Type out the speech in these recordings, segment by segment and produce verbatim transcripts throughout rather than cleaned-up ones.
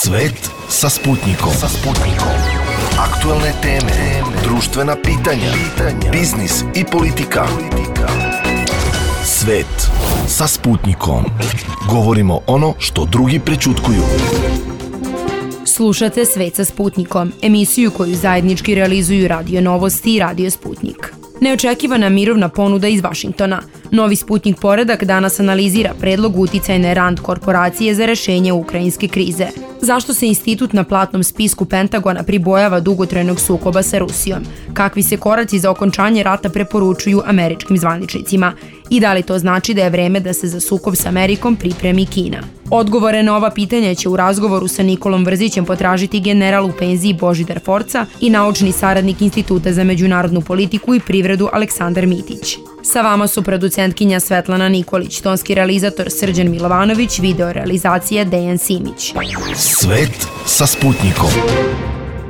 Svet sa Sputnikom. Sa Sputnikom. Aktuelne teme, društvena pitanja, biznis i politika. Svet sa Sputnikom. Govorimo ono što drugi prećutkuju. Slušate Svet sa Sputnikom, emisiju koju zajednički realizuju Radio Novosti i Radio Sputnik. Neočekivana mirovna ponuda iz Vašingtona. Novi Sputnik poredak danas analizira predlog uticajne Rand korporacije za rešenje ukrajinske krize. Zašto se institut na platnom spisku Pentagona pribojava dugotrajnog sukoba sa Rusijom? Kakvi se koraci za okončanje rata preporučuju američkim zvaničnicima? I da li to znači da je vreme da se za sukob sa Amerikom pripremi Kina? Odgovore na ova pitanja će u razgovoru sa Nikolom Vrzićem potražiti general u penziji Božidar Forca i naučni saradnik Instituta za međunarodnu politiku i privredu Aleksandar Mitić. Sa vama su producentkinja Svetlana Nikolić, tonski realizator Srđan Milovanović, video realizacija Dejan Simić. Svet sa Sputnikom.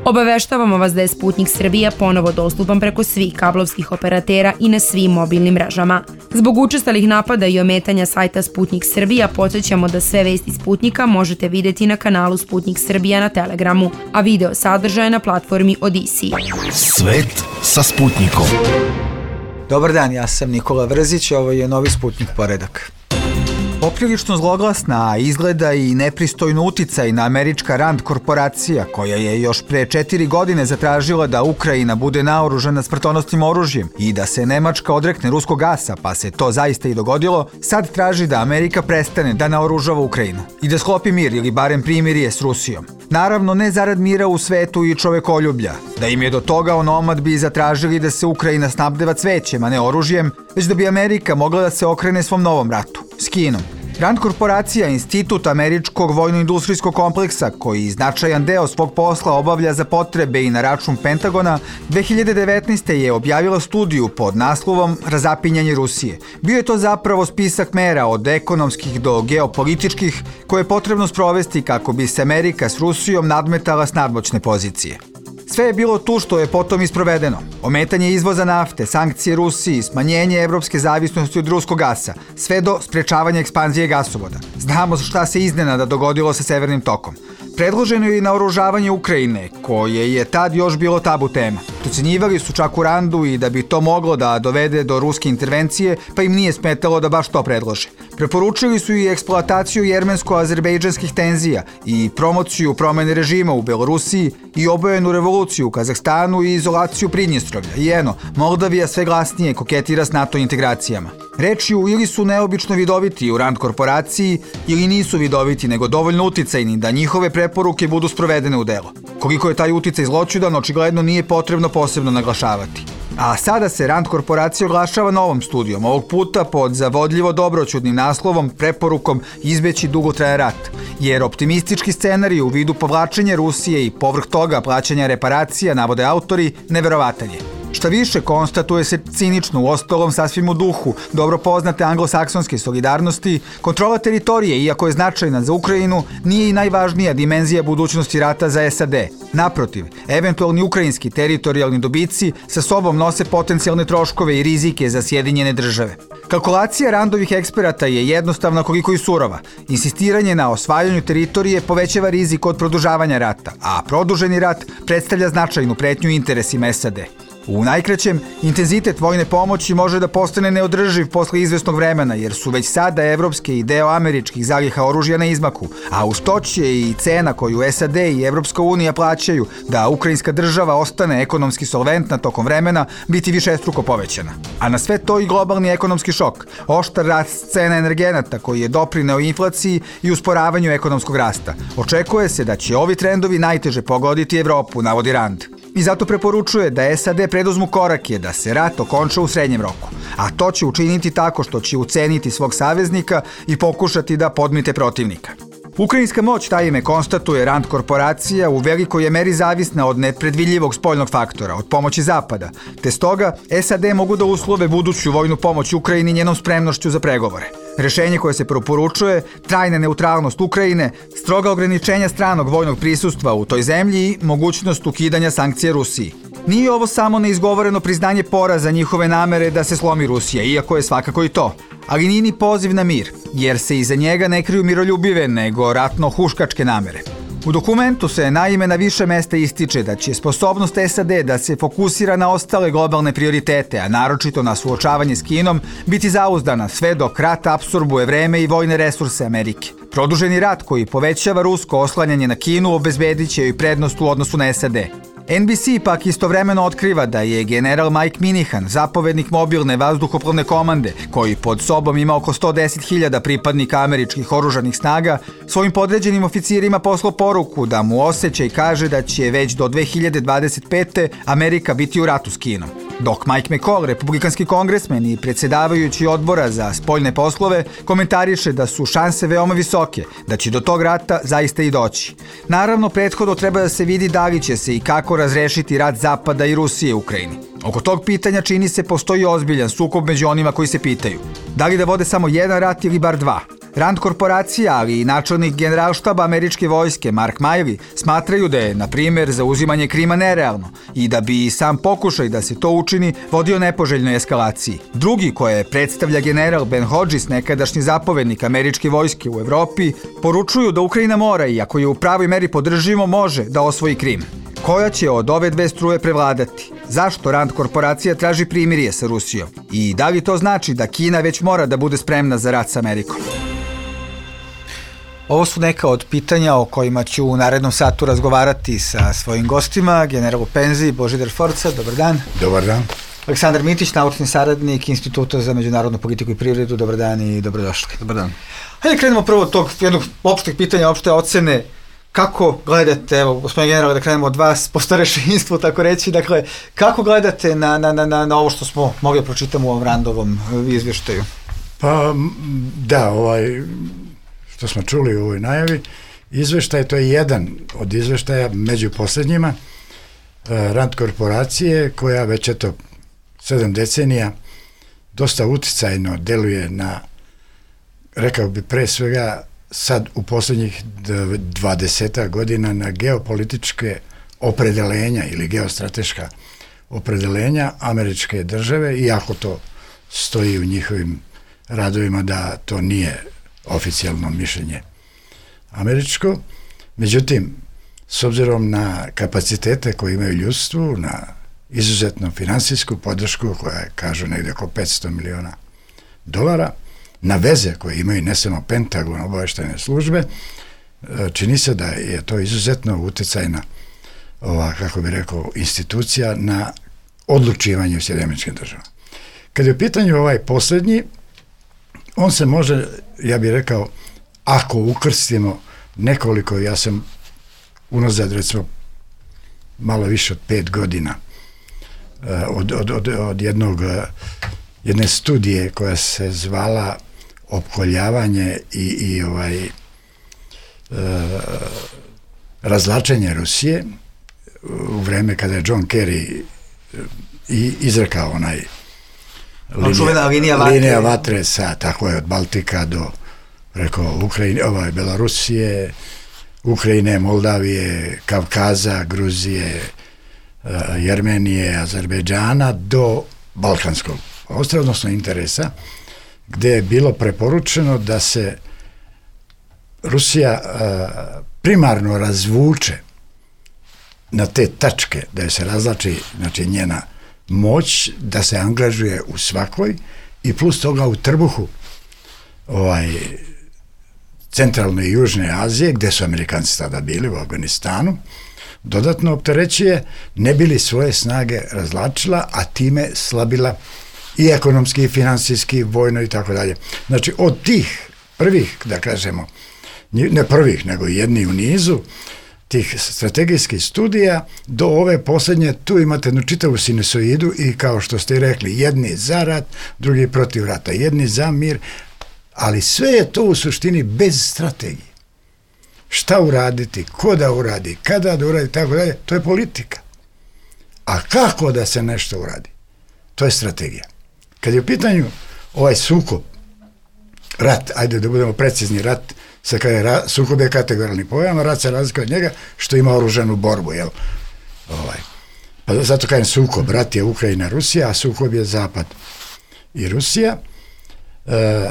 Obaveštavamo vas da je Sputnik Srbija ponovo dostupan preko svih kablovskih operatera i na svim mobilnim mrežama. Zbog učestalih napada i ometanja sajta Sputnik Srbija, podsjećamo da sve vesti Sputnika možete videti na kanalu Sputnik Srbija na Telegramu, a video sadržaje na platformi Odisi. Svet sa Sputnikom. Dobar dan, ja sam Nikola Vrzić, ovo je novi Sputnik poredak. Poprilično zloglasna, a izgleda i nepristojno uticajna američka Rand korporacija, koja je još pre četiri godine zatražila da Ukrajina bude naoružana smrtonosnim oružjem i da se Nemačka odrekne ruskog gasa, pa se to zaista i dogodilo, sad traži da Amerika prestane da naoružava Ukrajinu i da sklopi mir ili barem primirje s Rusijom. Naravno, ne zarad mira u svetu i čovekoljublja. Da im je do toga onomad bi zatražili da se Ukrajina snabdeva cvećem, a ne oružjem, već da bi Amerika mogla da se okrene svom novom ratu, s Kinom. Rand korporacija, institut američkog vojno-industrijskog kompleksa, koji značajan deo svog posla obavlja za potrebe i na račun Pentagona, dve hiljade devetnaeste. je objavila studiju pod naslovom Razapinjanje Rusije. Bio je to zapravo spisak mera od ekonomskih do geopolitičkih koje je potrebno sprovesti kako bi se Amerika s Rusijom nadmetala s nadmoćne pozicije. Sve je bilo tu što je potom isprovedeno. Ometanje izvoza nafte, sankcije Rusiji, smanjenje evropske zavisnosti od ruskog gasa, sve do sprečavanja ekspanzije gasovoda. Znamo šta se iznenada dogodilo sa Severnim tokom. Predloženo je i naoružavanje Ukrajine, koje je tad još bilo tabu tema. Procenjivali su čak u Randu i da bi to moglo da dovede do ruske intervencije, pa im nije smetalo da baš to predlože. Preporučili su i eksploataciju jermensko-azerbejdžanskih tenzija i promociju promene režima u Belorusiji i obojenu revoluciju u Kazahstanu i izolaciju Pridnjestrovlja. I eno, Moldavija sve glasnije koketira s NATO integracijama. Rečju, ili su neobično vidoviti u Rand korporaciji, ili nisu vidoviti, nego dovoljno uticajni da njihove preporuke budu sprovedene u delo. Koliko je taj uticaj zloćudan, očigledno nije potrebno posebno naglašavati. A sada se Rand korporacija oglašava novom studijom, ovog puta pod zavodljivo dobroćudnim naslovom preporukom izbeći dugotrajan rat, jer optimistički scenarij u vidu povlačenja Rusije i povrh toga plaćanja reparacija, navode autori, neverovatan je. Šta više, konstatuje se cinično, u ostalom sasvim u duhu dobro poznate anglosaksonske solidarnosti, kontrola teritorije, iako je značajna za Ukrajinu, nije i najvažnija dimenzija budućnosti rata za S A D. Naprotiv, eventualni ukrajinski teritorijalni dobici sa sobom nose potencijalne troškove i rizike za Sjedinjene države. Kalkulacija Randovih eksperata je jednostavna koliko i surova. Insistiranje na osvajanju teritorije povećava rizik od produžavanja rata, a produženi rat predstavlja značajnu pretnju interesima S A D. U najkraćem, intenzitet vojne pomoći može da postane neodrživ posle izvesnog vremena, jer su već sada evropske i deo američkih zaliha oružja na izmaku, a uz to će i cena koju S A D i Evropska unija plaćaju da ukrajinska država ostane ekonomski solventna tokom vremena biti višestruko povećana. A na sve to i globalni ekonomski šok, oštar rast cena energenata koji je doprineo inflaciji i usporavanju ekonomskog rasta. Očekuje se da će ovi trendovi najteže pogoditi Evropu, navodi Rand. I zato preporučuje da S A D preduzmu korake da se rat okonča u srednjem roku, a to će učiniti tako što će uceniti svog saveznika i pokušati da podmite protivnika. Ukrajinska moć, taj ime konstatuje Rand korporacija, u velikoj je meri zavisna od nepredvidljivog spoljnog faktora, od pomoći Zapada, te stoga S A D mogu da uslove buduću vojnu pomoć Ukrajini njenom spremnošću za pregovore. Rešenje koje se preporučuje, trajna neutralnost Ukrajine, stroga ograničenja stranog vojnog prisustva u toj zemlji i mogućnost ukidanja sankcija Rusiji. Nije ovo samo neizgovoreno priznanje poraza njihove namere da se slomi Rusija, iako je svakako i to. Ali nije ni poziv na mir, jer se iza njega ne kriju miroljubive, nego ratno-huškačke namere. U dokumentu se naime na više mesta ističe da će sposobnost S A D da se fokusira na ostale globalne prioritete, a naročito na suočavanje s Kinom, biti zauzdana sve dok rat apsorbuje vreme i vojne resurse Amerike. Produženi rat koji povećava rusko oslanjanje na Kinu obezbedit će joj prednost u odnosu na S A D. N B C pak istovremeno otkriva da je general Mike Minihan, zapovednik mobilne vazduhoplovne komande, koji pod sobom ima oko sto deset hiljada pripadnika američkih oružanih snaga, svojim podređenim oficirima poslao poruku da mu osjećaj kaže da će već do dve hiljade dvadeset pete. Amerika biti u ratu s Kinom. Dok Mike McCall, republikanski kongresmen i predsjedavajući odbora za spoljne poslove, komentariše da su šanse veoma visoke, da će do tog rata zaista i doći. Naravno, prethodno treba da se vidi da li će se i kako razrešiti rat Zapada i Rusije u Ukrajini. Oko tog pitanja čini se postoji ozbiljan sukob među onima koji se pitaju da li da vode samo jedan rat ili bar dva. Rand korporacija, ali i načelnik generalštaba američke vojske Mark Milley smatraju da je, na primjer, zauzimanje Krima nerealno i da bi i sam pokušaj da se to učini vodio nepoželjnoj eskalaciji. Drugi, koje predstavlja general Ben Hodges, nekadašnji zapovednik američke vojske u Evropi, poručuju da Ukrajina mora i ako je u pravoj meri podržimo, može da osvoji Krim. Koja će od ove dve struje prevladati? Zašto Rand korporacija traži primirje sa Rusijom? I da li to znači da Kina već mora da bude spremna za rat sa Amerikom? Ovo su neka od pitanja o kojima ću u narednom satu razgovarati sa svojim gostima, general u penziji Božidar Forca. Dobar dan. Dobar dan. Aleksandar Mitić, naučni saradnik Instituta za međunarodnu politiku i privredu. Dobar dan i dobrodošli. Dobar dan. Hajde krenemo prvo od tog jednog opšteg pitanja, opšte ocene. Kako gledate, evo, gospodin general, da krenemo od vas, po starešinstvu, tako reći, dakle, kako gledate na, na, na, na ovo što smo mogli pročitati u ovom Randovom izvještaju? Pa, da, ovaj, što smo čuli u ovoj najavi, izveštaj, to je jedan od izveštaja među posljednjima Rand korporacije, koja već eto sedam decenija dosta uticajno deluje na, rekao bi pre svega, sad u posljednjih dvadeset godina na geopolitičke opredelenja ili geostrateška opredelenja američke države, iako to stoji u njihovim radovima da to nije oficijalno mišljenje američko. Međutim, s obzirom na kapacitete koje imaju ljudstvu, na izuzetno finansijsku podršku koja je, kažu, negdje oko petsto miliona dolara, na veze koje imaju ne samo Pentagon, obavještajne službe, čini se da je to izuzetno uticajna, ova, kako bi rekao, institucija na odlučivanje u Sjedinjenim Američkim Državama. Kad je u pitanju ovaj posljednji, on se može, ja bih rekao, ako ukrstimo nekoliko, ja sam unazad recimo malo više od pet godina od, od, od, od jednog jedne studije koja se zvala opkoljavanje i, i ovaj e, razlačenje Rusije u vreme kada je John Kerry i izrekao onaj linija, linija, vatre. linija vatre sa, tako je, od Baltika do preko Ukrajine, ovaj, Belorusije, Ukrajine, Moldavije, Kavkaza, Gruzije, e, Jermenije, Azerbejdžana do Balkanskog ostrva, odnosno interesa, gdje je bilo preporučeno da se Rusija a, primarno razvuče na te tačke, da se razlači, znači, njena moć, da se angažuje u svakoj i plus toga u trbuhu ovaj, centralne i južne Azije, gdje su Amerikanci tada bili, u Afganistanu, dodatno opterećuje, ne bili svoje snage razlačila, a time slabila i ekonomski, i finansijski, vojno i tako dalje. Znači, od tih prvih, da kažemo, ne prvih, nego jedni u nizu, tih strategijskih studija, do ove posljednje, tu imate jednu čitavu sinusoidu i, kao što ste rekli, jedni za rat, drugi protiv rata, jedni za mir, ali sve je to u suštini bez strategije. Šta uraditi, ko da uradi, kada da uradi, tako dalje, to je politika. A kako da se nešto uradi? To je strategija. Kad je u pitanju ovaj sukob, rat, ajde da budemo precizni, rat, se kada je ra, sukob je kategorijalni pojam, a rat se razlikuje od njega što ima oružanu borbu, jel? Ovaj. Pa zato kažem sukob, rat je Ukrajina, Rusija, a sukob je Zapad i Rusija. E,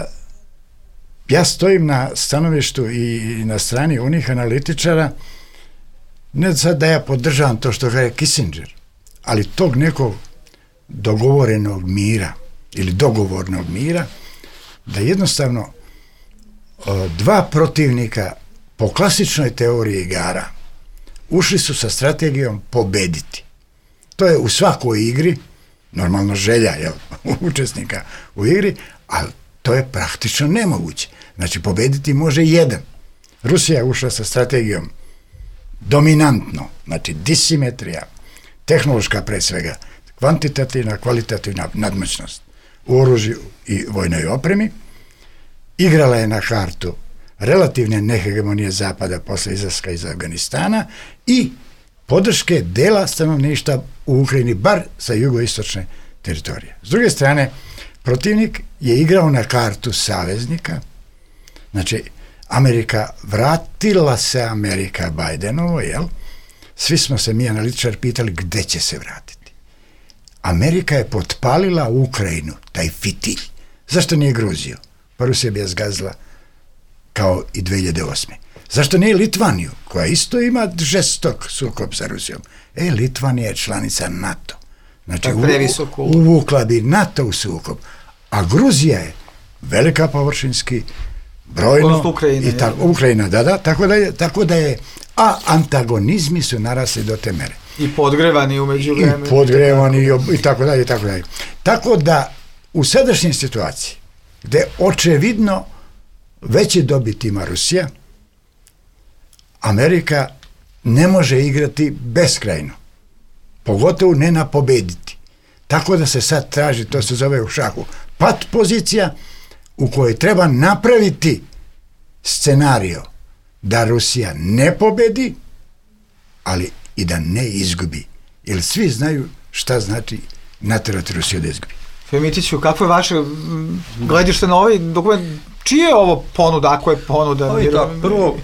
ja stojim na stanovištu i na strani onih analitičara, ne sad da ja podržavam to što kaže Kissinger, ali tog nekog dogovorenog mira ili dogovornog mira, da jednostavno dva protivnika po klasičnoj teoriji igara ušli su sa strategijom pobediti. To je u svakoj igri, normalno želja jel, učesnika u igri, ali to je praktično nemoguće. Znači, pobediti može jedan. Rusija je ušla sa strategijom dominantno, znači disimetrija, tehnološka pre svega, kvantitativna, kvalitativna nadmoćnost u oružju i vojnoj opremi, igrala je na kartu relativne nehegemonije Zapada posle izlaska iz Afganistana i podrške dela stanovništva u Ukrajini, bar sa jugoistočne teritorije. S druge strane, protivnik je igrao na kartu saveznika, znači Amerika, vratila se Amerika Bajdenovo, jel? Svi smo se mi analitičari pitali gde će se vratiti. Amerika je potpalila Ukrajinu, taj fitilj. Zašto nije Gruziju? Pa Rusija bi je zgazila kao i dve hiljade osme. Zašto nije Litvaniju, koja isto ima žestok sukob sa Rusijom? E, Litvanija je članica NATO. Znači, u, uvukla bi NATO u sukob. A Gruzija je velika površinski, brojno, Ukrajina, i tako, Ukrajina, da, da, tako da je, tako da je, a antagonizmi su narasli do te mere. I podgrevani umeđu vremenu. I podgrevani i, i tako dalje, i tako dalje. Tako da, u sadašnjoj situaciji, gde očevidno veće dobiti ima Rusija, Amerika ne može igrati beskrajno. Pogotovo ne na pobediti. Tako da se sad traži, to se zove u šahu, pat pozicija u kojoj treba napraviti scenario da Rusija ne pobedi, ali i da ne izgubi. Jer svi znaju šta znači naterati Rusiju da izgubi. Femitiću, kako je vaše gledište na ovaj dokument? Čije je ovo ponuda, ako je ponuda? Ovo je tako, prvo,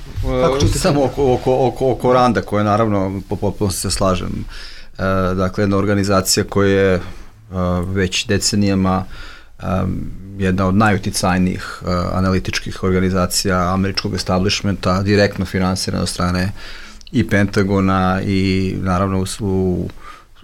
samo oko, oko, oko, oko Randa, koja naravno, potpuno se slažem, e, dakle, jedna organizacija koja je e, već decenijama e, jedna od najuticajnijih e, analitičkih organizacija američkog establishmenta, direktno finansirana od strane i Pentagona i naravno u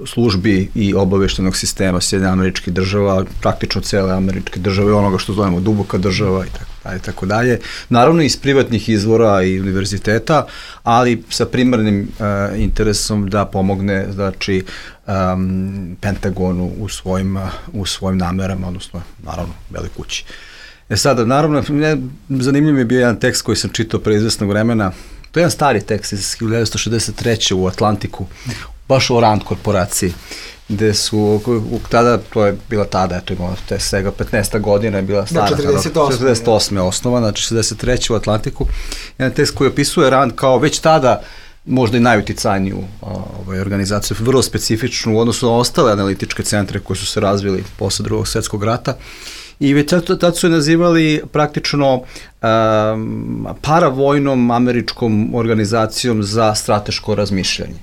službi i obaveštenog sistema Sjedinjenih Američkih Država, praktično cele američke države, onoga što zovemo duboka država i tako dalje, tako dalje. Naravno iz privatnih izvora i univerziteta, ali sa primarnim uh, interesom da pomogne, znači, um, Pentagonu u svojim, uh, u svojim namerama, odnosno, naravno, Beloj kući. E sada, naravno, ne, zanimljiv mi je bio jedan tekst koji sam čitao pre izvesnog vremena. To je jedan stari tekst iz hiljadu devetsto šezdeset treće u Atlantiku, baš o Rand korporaciji, gde su, tada, to je bila tada, eto imala te svega petnaest godina je bila stara, četrdeset osme osnova, znači šezdeset treće u Atlantiku, jedan tekst koji opisuje Rand kao već tada možda i najuticajniju ovaj, organizaciju, vrlo specifičnu u odnosu na ostale analitičke centre koji su se razvili posle Drugog svjetskog rata. I već tad su je nazivali praktično um, paravojnom američkom organizacijom za strateško razmišljanje.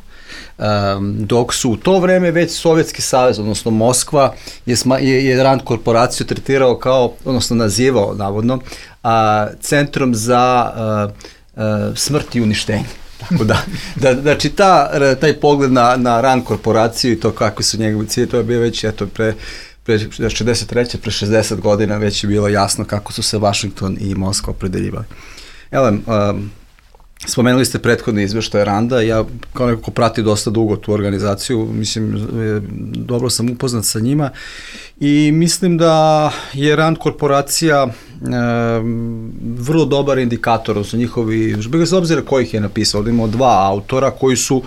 Um, dok su u to vreme već Sovjetski savez, odnosno Moskva, je, sma, je, je Rand korporaciju tretirao kao, odnosno nazivao navodno, a, centrom za a, a, smrt i uništenje. Tako da, da, znači ta, taj pogled na, na Rand korporaciju i to kakvi su njegovi ciljevi, to je bio već eto, pre, pre šezdeset treće pre šezdeset godina već je bilo jasno kako su se Washington i Moskva opredeljivali. Evo, um, spomenuli ste prethodne izveštaje Randa, ja kao neko ko prati dosta dugo tu organizaciju, mislim, dobro sam upoznat sa njima i mislim da je Rand korporacija e, vrlo dobar indikator, odnosno njihovi, bez obzira kojih je napisao, da imamo dva autora koji su,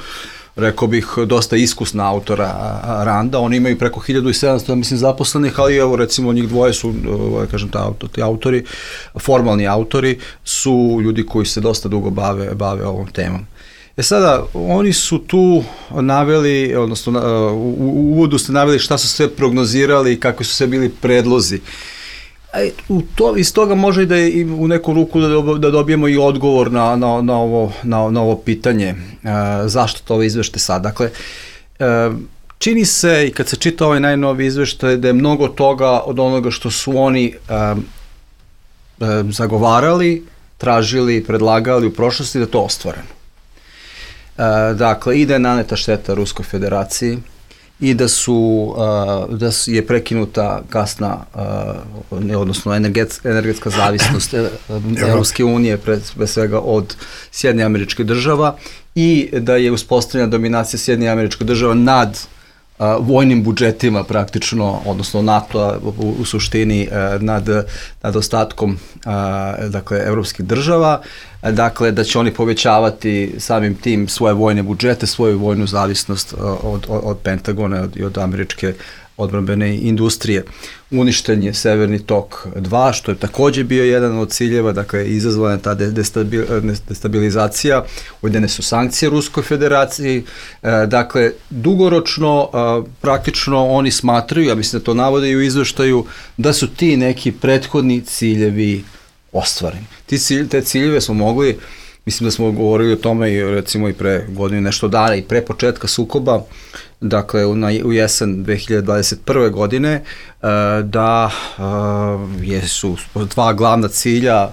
rekao bih, dosta iskusna autora Randa, oni imaju preko hiljadu sedamsto, mislim, zaposlenih, ali evo, recimo, njih dvoje su, kažem, ta, ti autori, formalni autori, su ljudi koji se dosta dugo bave, bave ovom temom. E sada, oni su tu naveli, odnosno, u, u uvodu ste naveli šta su sve prognozirali i kakvi su sve bili predlozi. U to, iz toga može i da je u neku ruku da, da dobijemo i odgovor na, na, na, ovo, na, na ovo pitanje e, zašto to ovo izvešte sad. Dakle, e, čini se i kad se čita ovaj najnovi izveštaj da je mnogo toga od onoga što su oni e, zagovarali, tražili, predlagali u prošlosti da to ostvareno. E, dakle, i da je naneta šteta Ruskoj federaciji i da su, e, da je prekinuta gasna, e, odnosno energet, energetska zavisnost Evropske unije, pre, pre svega od Sjedinjenih Američkih Država, i da je uspostavljena dominacija Sjedinjenih Američkih Država nad a, vojnim budžetima praktično, odnosno NATO-a u, u suštini a, nad, nad ostatkom a, dakle, evropskih država, a, dakle da će oni povećavati samim tim svoje vojne budžete, svoju vojnu zavisnost a, od, od, od Pentagona i od američke odbrambene industrije. Uništen je Severni tok dva, što je takođe bio jedan od ciljeva, dakle izazvana ta destabilizacija, uvedene su sankcije Ruskoj federaciji, e, dakle dugoročno a, praktično oni smatraju, ja mislim da to navode i u izveštaju, da su ti neki prethodni ciljevi ostvareni. Ti cilj, te ciljeve smo mogli, mislim da smo govorili o tome i recimo i pre godine nešto dana i pre početka sukoba, dakle u, na, u jesen dve hiljade dvadeset prve godine, da jesu dva glavna cilja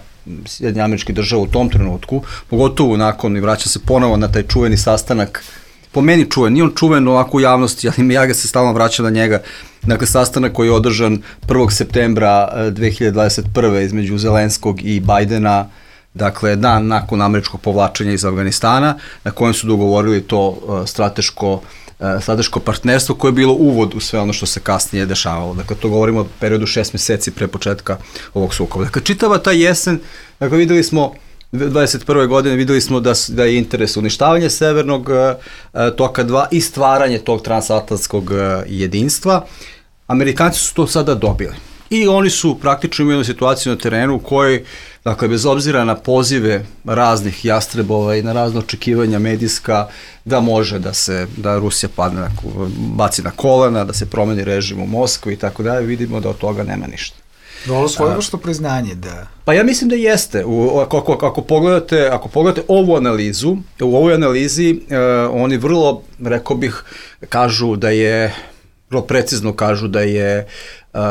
Sjedinjenih Američkih Država u tom trenutku, pogotovo nakon, i vraća se ponovo na taj čuveni sastanak, po meni čuven, nije on čuven ovako u javnosti, ali ja ga se stalno vraćam na njega, dakle sastanak koji je održan prvog septembra dve hiljade dvadeset prve između Zelenskog i Bajdena, dakle dan nakon američkog povlačenja iz Afganistana, na kojem su dogovorili to uh, strateško, uh, strateško partnerstvo koje je bilo uvod u sve ono što se kasnije dešavalo. Dakle, to govorimo o periodu šest meseci pre početka ovog sukoba. Dakle, čitava ta jesen, dakle, videli smo dvadeset prve godine videli smo da, da je interes uništavanje Severnog uh, toka dva i stvaranje tog transatlantskog uh, jedinstva. Amerikanci su to sada dobili. I oni su praktično imali situaciju na terenu u kojoj, dakle, bez obzira na pozive raznih jastrebova i na razne očekivanja medijska, da može da se, da Rusija padne na, baci na kolena, da se promeni režim u Moskvi i tako dalje, vidimo da od toga nema ništa. Ovo svoje što priznanje da... Pa ja mislim da jeste. U, ako, ako, ako, pogledate, ako pogledate ovu analizu, u ovoj analizi uh, oni vrlo, rekao bih, kažu da je, vrlo precizno kažu da je Uh,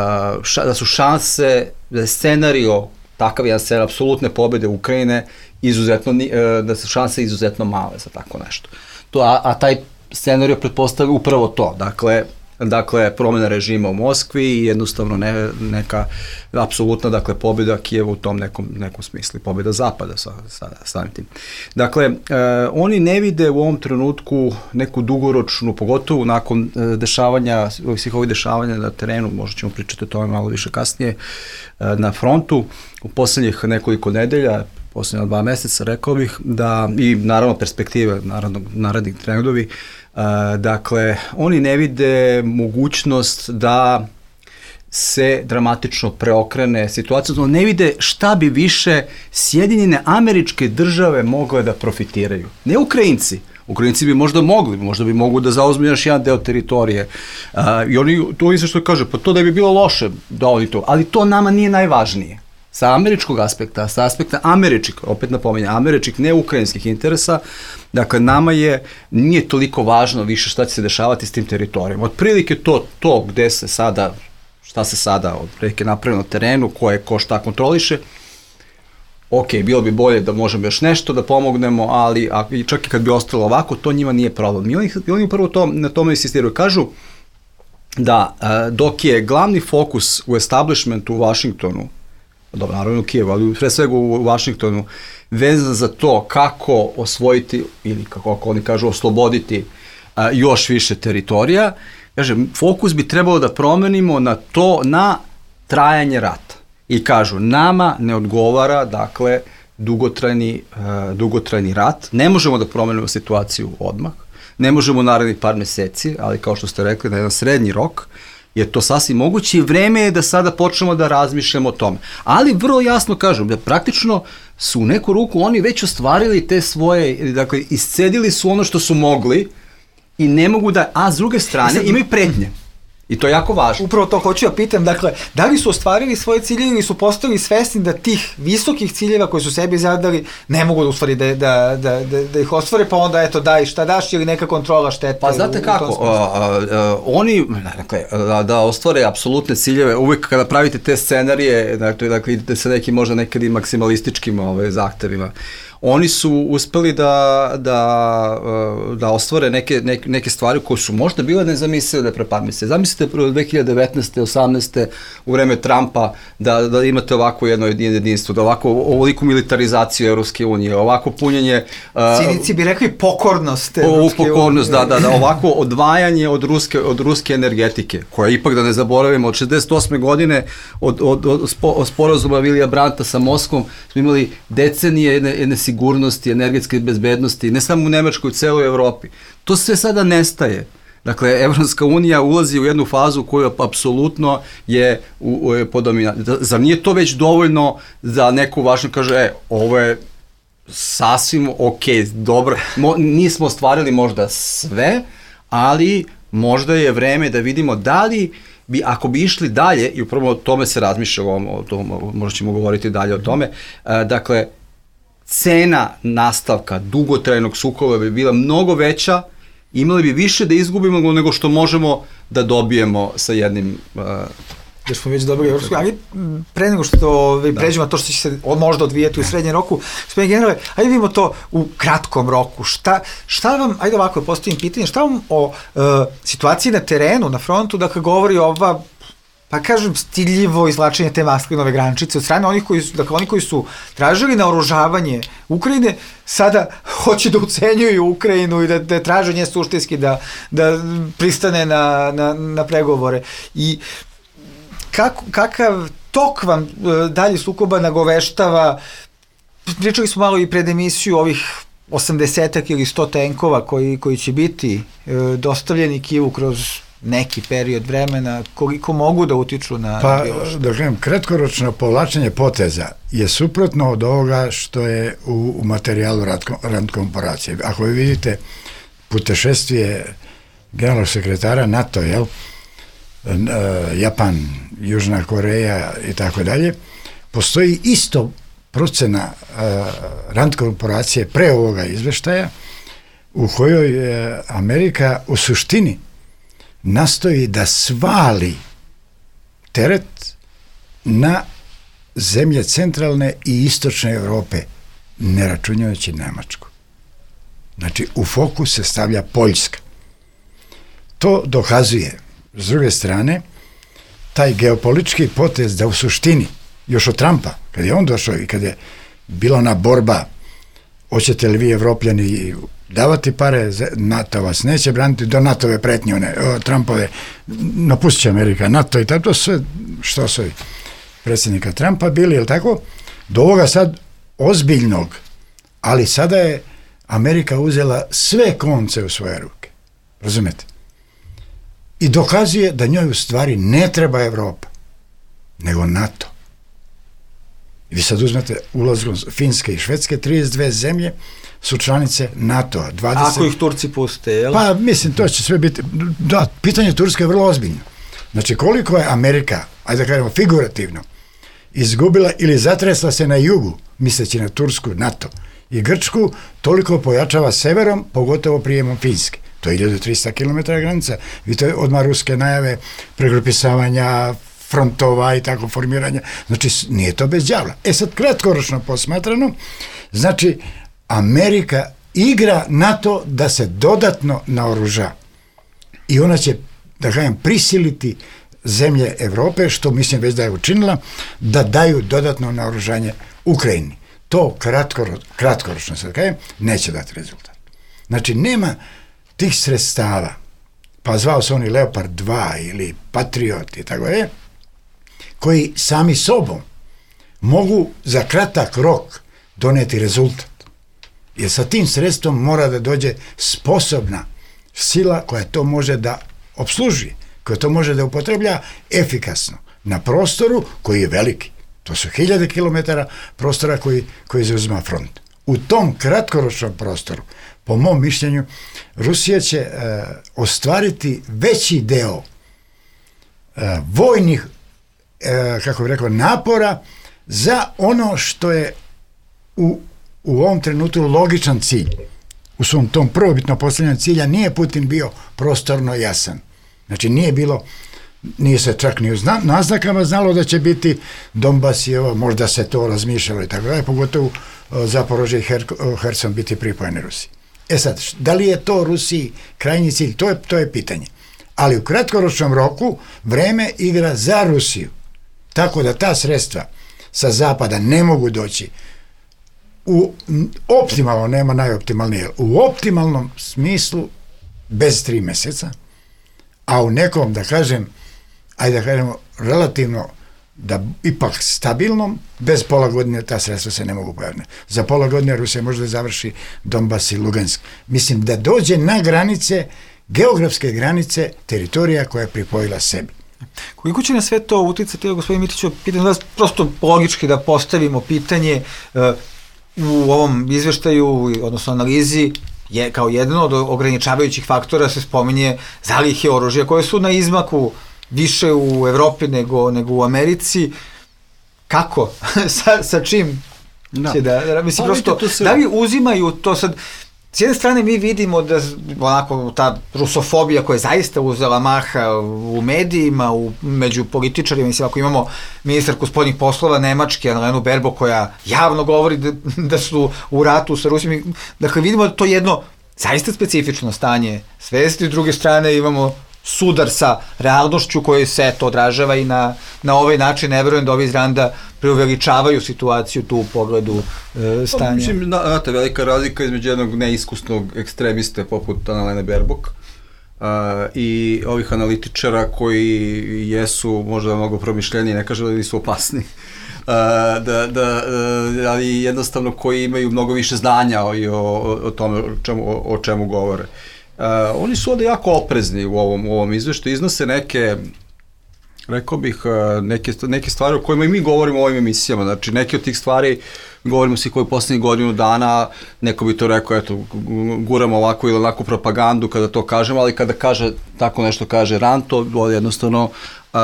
ša, da su šanse, da je scenario, takav jedan scenario apsolutne pobjede Ukrajine, izuzetno, uh, da su šanse izuzetno male za tako nešto. To, a, a taj scenario pretpostavlja upravo to, dakle, dakle promjena režima u Moskvi i jednostavno ne, neka apsolutna, dakle, pobjeda Kijeva u tom nekom, nekom smislu, pobjeda Zapada sa, sa samim tim. Dakle, e, oni ne vide u ovom trenutku neku dugoročnu, pogotovo nakon e, dešavanja, svih ovih dešavanja na terenu, možda ćemo pričati o tome malo više kasnije, e, na frontu, u posljednjih nekoliko nedelja, posljednja dva meseca, rekao bih, da, i naravno perspektive, naravno, narednih trendovi, Uh, dakle, oni ne vide mogućnost da se dramatično preokrene situacija, odnosno ne vide šta bi više Sjedinjene Američke Države mogle da profitiraju. Ne Ukrajinci. Ukrajinci bi možda mogli, možda bi mogli da zauzmu još jedan deo teritorije. Uh, I oni, to isto što kaže, pa to da bi bilo loše da oni to, ali to nama nije najvažnije. Sa američkog aspekta, sa aspekta američkih, opet napominjem, američkih, ne ukrajinskih interesa, dakle, nama je, nije toliko važno više šta će se dešavati s tim teritorijom. Otprilike to, to gde se sada, šta se sada otprilike napravimo na terenu, ko je, ko šta kontroliše, ok, bilo bi bolje da možemo još nešto da pomognemo, ali a, čak i kad bi ostalo ovako, to njima nije problem. I oni, oni prvo to, na tome insistiraju. Kažu da dok je glavni fokus u establishmentu u Vašingtonu, dobro, naravno u Kijevu, ali pre svega u Vašingtonu, vezan za to kako osvojiti, ili kako oni kažu, osloboditi a, još više teritorija, kažem, fokus bi trebalo da promenimo na to, na trajanje rata. I kažu, nama ne odgovara, dakle, dugotrajni, a, dugotrajni rat, ne možemo da promenimo situaciju odmah, ne možemo narednih par meseci, ali kao što ste rekli, na jedan srednji rok, je to sasvim moguće i vreme je da sada počnemo da razmišljamo o tome. Ali vrlo jasno kažem da praktično su u neku ruku oni već ostvarili te svoje, dakle, iscedili su ono što su mogli i ne mogu da, a s druge strane imaju pretnje. I to je jako važno. Upravo to hoću ja pitam, dakle, da li su ostvarili svoje ciljeve ili su postali svesni da tih visokih ciljeva koji su sebi zadali ne mogu da ustvari da, da, da, da, da ih ostvare, pa onda eto daj šta daš ili neka kontrola štete. Pa znate kako, a, a, a, oni dakle, da, da ostvare apsolutne ciljeve, uvijek kada pravite te scenarije, dakle, dakle idete sa nekim možda nekad i maksimalističkim ove, zahtevima, oni su uspeli da, da, da ostvare neke, neke, neke stvari koje su možda bile nezamislive pre par mjeseci. Zamislite prvo dve hiljade devetnaeste. osamnaeste. u vreme Trumpa da, da imate ovako jedno jedinstvo, da ovako ovoliku militarizaciju Evropske unije, ovako punjenje... Cinici bi rekli pokornost Evropske unije. Pokornost, da, da, da, ovako odvajanje od ruske, od ruske energetike, koja ipak, da ne zaboravimo, od šezdeset osme godine od, od, od, od sporazuma Vilija Branta sa Moskvom smo imali decenije jedne, jedne sigurnosti, energetske bezbednosti, ne samo u Nemačkoj, u celoj Evropi. To sve sada nestaje. Dakle, Evropska unija ulazi u jednu fazu koja apsolutno je u, u, po dominaciji. Zar nije to već dovoljno za neku važnu kaže, e, ovo je sasvim ok, dobro, Mo, nismo ostvarili možda sve, ali možda je vreme da vidimo da li bi, ako bi išli dalje, i upravo o tome se razmišlja, o tom, možda ćemo govoriti dalje o tome, dakle, cena nastavka dugotrajnog sukoba bi bila mnogo veća, imali bi više da izgubimo nego što možemo da dobijemo sa jednim... Uh, da smo već dobili Evropsku, ali pre nego što pređemo to što će se možda odvijeti u srednjem roku, gospodine generale, ajde vidimo to u kratkom roku. Šta, šta vam, ajde ovako postavim pitanje, šta vam o uh, situaciji na terenu, na frontu, dakle govori ova, pa kažem, stiljivo izvlačenje te maslinove grančice od strane onih koji su, dakle, oni koji su tražili naoružavanje Ukrajine, sada hoće da ucenjuju Ukrajinu i da, da traže nje suštinski da, da pristane na, na, na pregovore. I kako, kakav tok vam e, dalje sukoba nagoveštava, pričali smo malo i pred emisiju ovih osamdesetak ili sto tenkova koji, koji će biti e, dostavljeni Kijevu kroz neki period vremena, koliko mogu da utiču na... Pa, da kažem, kratkoročno povlačenje poteza je suprotno od ovoga što je u, u materijalu rand korporacije. Ako vi vidite putešestvije generalnog sekretara NATO, jel, Japan, Južna Koreja i tako dalje, postoji isto procena rand korporacije pre ovoga izveštaja u kojoj je Amerika u suštini nastoji da svali teret na zemlje centralne i istočne Evrope, ne računjajući Nemačku. Znači, u fokus se stavlja Poljska. To dokazuje, s druge strane, taj geopolitički potez da u suštini, još od Trumpa, kad je on došao i kad je bila ona borba, hoćete li vi Evropljani davati pare, NATO vas neće braniti, do NATO-ve pretnje, one, o, Trumpove, napustit će Amerika, NATO i tako, to sve, što su predsjednika Trumpa bili, jel tako, do ovoga sad ozbiljnog, ali sada je Amerika uzela sve konce u svoje ruke, razumete? I dokazuje da njoj u stvari ne treba Evropa, nego NATO. I vi sad uzmete ulazom Finske i Švedske, trideset dve zemlje su članice NATO-a. dvadeset... Ako ih Turci puste, jel? Pa, mislim, to će sve biti... Da, pitanje Turske je vrlo ozbiljno. Znači, koliko je Amerika, ajde da kažemo figurativno, izgubila ili zatresla se na jugu, misleći na Tursku, NATO i Grčku, toliko pojačava severom, pogotovo prijemom Finske. To je hiljadu trista kilometara granica. Vidite, odmah ruske najave, pregrupisavanja, frontova i tako formiranja. Znači, nije to bez đavla. E sad, kratkoročno posmatrano, znači, Amerika igra na to da se dodatno naoruža. I ona će, da kažem, prisiliti zemlje Evrope, što mislim već da je učinila, da daju dodatno naoružanje Ukrajini. To kratkoro, kratkoročno, sad kažem, neće dati rezultat. Znači, nema tih sredstava, pa zvao se oni Leopard dva ili Patriot i tako je, koji sami sobom mogu za kratak rok doneti rezultat. Jer sa tim sredstvom mora da dođe sposobna sila koja to može da obsluži, koja to može da upotreblja efikasno na prostoru koji je veliki. To su hiljade kilometara prostora koji, koji zauzima front. U tom kratkoročnom prostoru, po mom mišljenju, Rusija će e, ostvariti veći deo e, vojnih, e, kako bih rekao, napora za ono što je u, u ovom trenutku logičan cilj. U svom tom prvobitno postavljanju cilja nije Putin bio prostorno jasan. Znači nije bilo, nije se čak ni u zna, naznakama znalo da će biti Donbas i ovo, možda se to razmišljalo i tako dalje, pogotovo Zaporožje i Her, Herson biti pripojeni Rusiji. E sad, da li je to Rusiji krajnji cilj? To je, to je pitanje. Ali u kratkoročnom roku vreme igra za Rusiju. Tako da ta sredstva sa zapada ne mogu doći u optimalno, nema najoptimalnije, u optimalnom smislu bez tri meseca, a u nekom, da kažem, ajde da kažemo, relativno, da ipak stabilnom, bez pola godine ta sredstva se ne mogu pojaviti. Za pola godine Rusija može da završi Donbas i Lugansk. Mislim da dođe na granice, geografske granice teritorija koja je pripojila sebi. Koliko će na sve to uticati, gospodin Mitiću, pitam vas prosto logički da postavimo pitanje u ovom izveštaju, odnosno analizi, je kao jedan od ograničavajućih faktora se spominje zalihe oružja koje su na izmaku više u Evropi nego, nego u Americi. Kako? sa, sa čim da. će da, da mislim, pa, prosto, se... da li uzimaju to sad, s jedne strane mi vidimo da onako ta rusofobija koja je zaista uzela maha u medijima, u, među političarima, mislim, ako imamo ministarku spoljnih poslova Nemačke, Annalenu Baerbock, koja javno govori da, da su u ratu sa Rusijom, dakle vidimo da to jedno zaista specifično stanje svesti, s druge strane imamo sudar sa realnošću koji se to odražava i na, na ovaj način. Ne verujem da ovi iz Randa preuveličavaju situaciju tu u pogledu e, stanja. Pa, mislim, znate, velika razlika između jednog neiskusnog ekstremiste poput Annalene Baerbock uh, i ovih analitičara koji jesu možda mnogo promišljeniji, ne kažem da nisu opasni, uh, da, da, uh, ali jednostavno koji imaju mnogo više znanja o, o, o tome o čemu, o, o čemu govore. Uh, oni su ovde jako oprezni u ovom, u ovom izveštaju, iznose neke, rekao bih, uh, neke, neke stvari o kojima i mi govorimo u ovim emisijama, znači neke od tih stvari govorimo svi koji poslednjih godinu dana, neko bi to rekao, eto, guramo ovako ili onako propagandu kada to kažemo, ali kada kaže, tako nešto kaže Rand, to jednostavno Uh,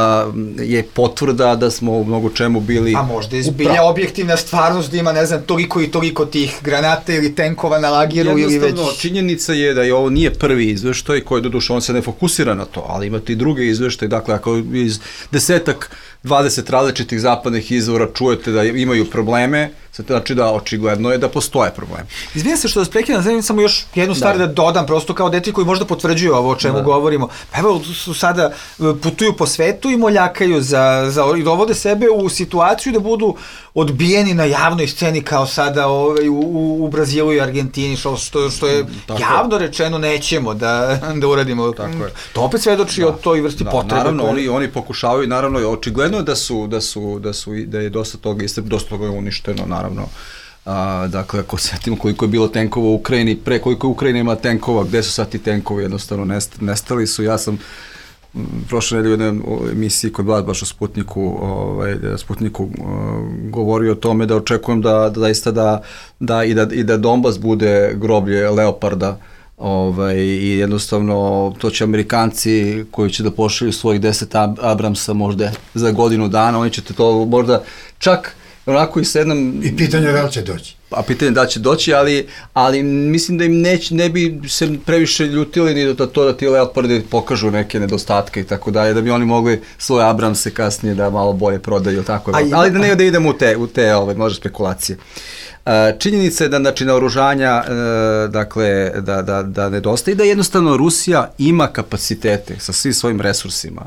je potvrda da smo u mnogo čemu bili... A možda je zbilja objektivna stvarnost da ima, ne znam, toliko i toliko tih granata ili tenkova na lagiru ili već... Jednostavno, činjenica je da je ovo nije prvi izveštaj koji, doduše, on se ne fokusira na to, ali imate i druge izveštaje, dakle, ako iz desetak, dvadeset različitih zapadnih izvora čujete da imaju probleme, znači da očigledno je da postoje problemi. Izvijem se što vas prekidam, znam samo još jednu stvar da, da dodam, prosto kao deti koji možda potvrđuju ovo o čemu da. govorimo. Pa evo, su sada putuju po svetu i moljakaju za, za, i dovode sebe u situaciju da budu odbijeni na javnoj sceni kao sada ovaj, u, u, u Brazilu i Argentini, što, što, što je tako javno rečeno nećemo da, da uradimo. Tako je. To opet svedoči da. o toj vrsti da, potrebe. Naravno, koje... oni, oni pokušavaju, naravno, očigledno je da su, da su, da su, da je dosta toga, dosta toga je uništeno, naravno. A, dakle, ako setimo koliko je bilo tenkova u Ukrajini, pre koliko je Ukrajina ima tenkova, gde su sad ti tenkovi, jednostavno nest, nestali su. Ja sam prošle nedelje u jednoj emisiji kod vas, baš o Sputniku, ovaj, Sputniku uh, govorio o tome da očekujem da, da zaista da, da, i da i da Donbas bude groblje Leoparda, ovaj, i jednostavno to će Amerikanci koji će da pošalju svojih deset Abramsa možda za godinu dana, oni će to možda čak onako i sedam... I pitanje da li će doći. A pitanje da li će doći, ali, ali mislim da im neć, ne bi se previše ljutili ni da to da ti Leopardi pokažu neke nedostatke i tako dalje, da bi oni mogli svoje Abramse kasnije da malo bolje prodaju, tako je. Ali da ne da idemo u te, u te ove, možda spekulacije. Uh, činjenica je da, znači, naoružanja, uh, dakle, da, da, da nedostaje i da jednostavno Rusija ima kapacitete sa svim svojim resursima,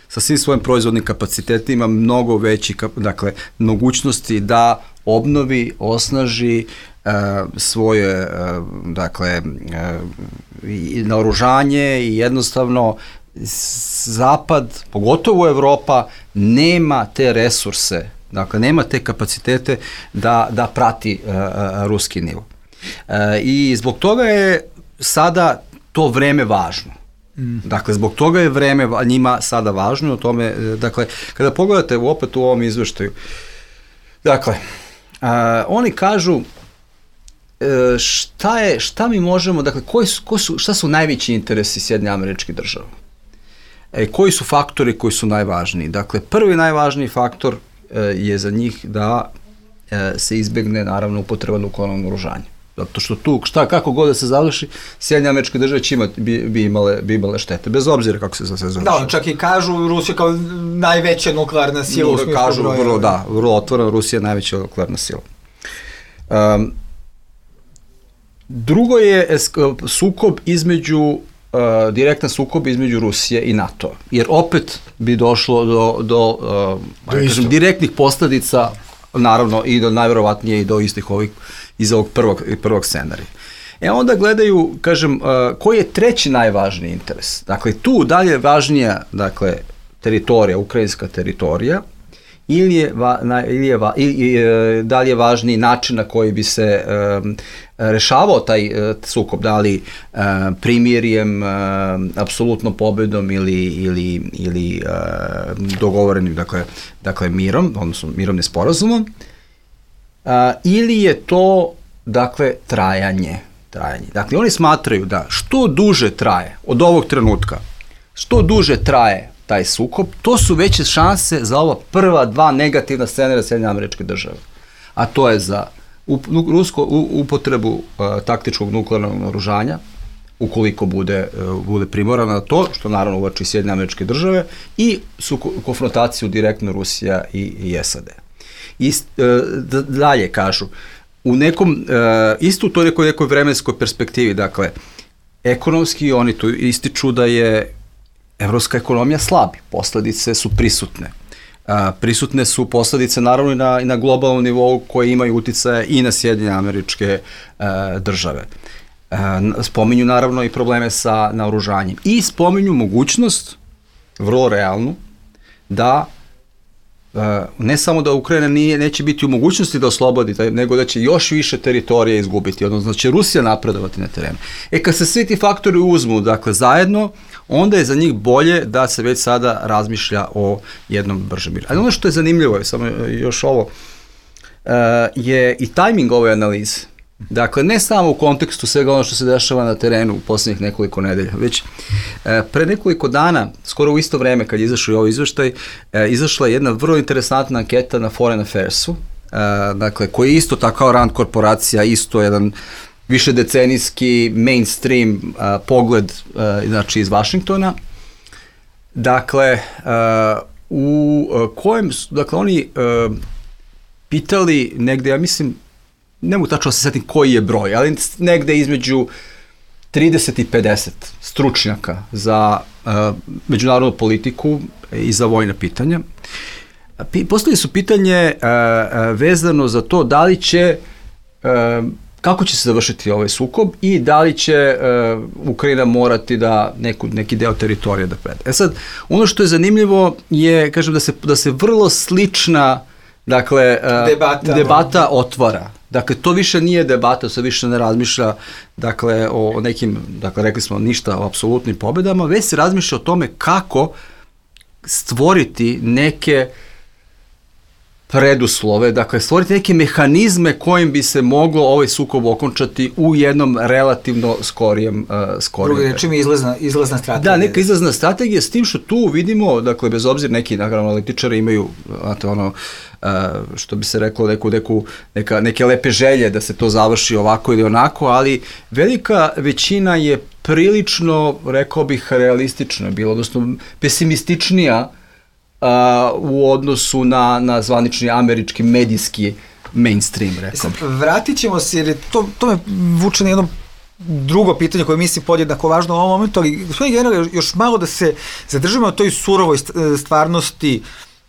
sa svim svojim proizvodnim kapacitetima, mnogo veći, dakle, mogućnosti da obnovi, osnaži uh, svoje, uh, dakle, uh, i naoružanje i jednostavno Zapad, pogotovo Evropa, nema te resurse, dakle, nema te kapacitete da, da prati uh, uh, ruski nivo. Uh, I zbog toga je sada to vreme važno. Mm. Dakle, zbog toga je vreme njima sada važno, o tome, dakle, kada pogledate opet u ovom izveštaju, dakle, a, oni kažu e, šta je, šta mi možemo, dakle, koji su, ko su, šta su najveći interesi Sjedinjenih Američkih Država? E, koji su faktori koji su najvažniji? Dakle, prvi najvažniji faktor e, je za njih da e, se izbegne naravno upotreba nuklearnog naoružanja. Zato što tu, šta, kako god da se završi, Sjedinjene Američke Države će imati, bi, bi, imale, bi imale štete, bez obzira kako se za sve završi. Da, čak i kažu Rusija kao najveća nuklearna sila u smislu kažu, broja. Vrlo, da, vrlo otvoreno, Rusija je najveća nuklearna sila. Um, drugo je esk- sukob između, uh, direktan sukob između Rusije i NATO, jer opet bi došlo do, do, uh, do kažem, direktnih posljedica, naravno i do najverovatnije i do istih ovih iz ovog prvog, prvog scenarija. E onda gledaju, kažem, uh, koji je treći najvažniji interes. Dakle, tu dalje je važnija, dakle, teritorija, ukrajinska teritorija, ili je, va, na, ili je, va, ili, e, da li je važniji način na koji bi se um, rešavao taj uh, sukob, da li uh, primirjem, uh, apsolutno pobedom ili, ili, ili uh, dogovorenim, dakle, dakle mirom, odnosno mirovnim sporazumom, uh, ili je to, dakle, trajanje, trajanje. Dakle, oni smatraju da što duže traje od ovog trenutka, što duže traje taj sukob, to su veće šanse za ova prva dva negativna scenarija Sjedinjenih Američkih Država. A to je za up, rusko u, upotrebu uh, taktičkog nuklearnog naoružanja, ukoliko bude, uh, bude primorana na to, što naravno uvači Sjedinjene Američke Države, i su konfrontaciju direktno Rusija i, i S A D. I uh, dalje kažu, u nekom, uh, isto u toj nekoj, nekoj vremenskoj perspektivi, dakle, ekonomski oni tu ističu da je evropska ekonomija slabi, posledice su prisutne. A, prisutne su posledice naravno i na, i na globalnom nivou koje imaju uticaje i na Sjedinjene Američke a, Države. A, spominju naravno i probleme sa naoružanjem i spominju mogućnost, vrlo realnu, da a, ne samo da Ukrajina nije, neće biti u mogućnosti da oslobodi, nego da će još više teritorije izgubiti, odnosno da će Rusija napredovati na terenu. E kad se svi ti faktori uzmu, dakle, zajedno, onda je za njih bolje da se već sada razmišlja o jednom bržem miru. Ali ono što je zanimljivo, je samo još ovo, uh, je i tajming ove analize. Dakle, ne samo u kontekstu svega ono što se dešava na terenu u posljednjih nekoliko nedelja, već uh, pre nekoliko dana, skoro u isto vreme kad je izašao ovaj izveštaj, uh, izašla je jedna vrlo interesantna anketa na Foreign Affairsu, uh, dakle, koji je isto tako kao Rand korporacija, isto jedan više decenijski mainstream uh, pogled uh, znači iz Vašingtona. Dakle, uh, u uh, kojem su, dakle, oni uh, pitali negde, ja mislim, ne mogu tačno da se setim koji je broj, ali negde između trideset i pedeset stručnjaka za uh, međunarodnu politiku i za vojna pitanja. P- postavili su pitanje uh, uh, vezano za to da li će uh, kako će se završiti ovaj sukob i da li će uh, Ukrajina morati da neku, neki deo teritorija da preda. E sad, ono što je zanimljivo je, kažem, da se, da se vrlo slična, dakle, uh, debata, debata otvara. Dakle, to više nije debata, se više ne razmišlja, dakle, o nekim, dakle, rekli smo ništa o apsolutnim pobedama, već se razmišlja o tome kako stvoriti neke preduslove, dakle, stvoriti neke mehanizme kojim bi se moglo ovaj sukob okončati u jednom relativno skorijem uh, skorijem. Drugi rečima izlazna, izlazna strategija. Da, neka izlazna strategija, s tim što tu vidimo, dakle, bez obzira, neki naravno analitičari imaju, znate, ono, uh, što bi se reklo, neku, neku, neka, neke lepe želje da se to završi ovako ili onako, ali velika većina je prilično, rekao bih, realistična bila, odnosno pesimističnija Uh, u odnosu na, na zvanični američki medijski mainstream, rekao bih. Vratit ćemo se, jer to, to me vuče na jedno drugo pitanje koje mislim podjednako važno u ovom momentu, ali gospodin general, još malo da se zadržimo na toj surovoj stvarnosti.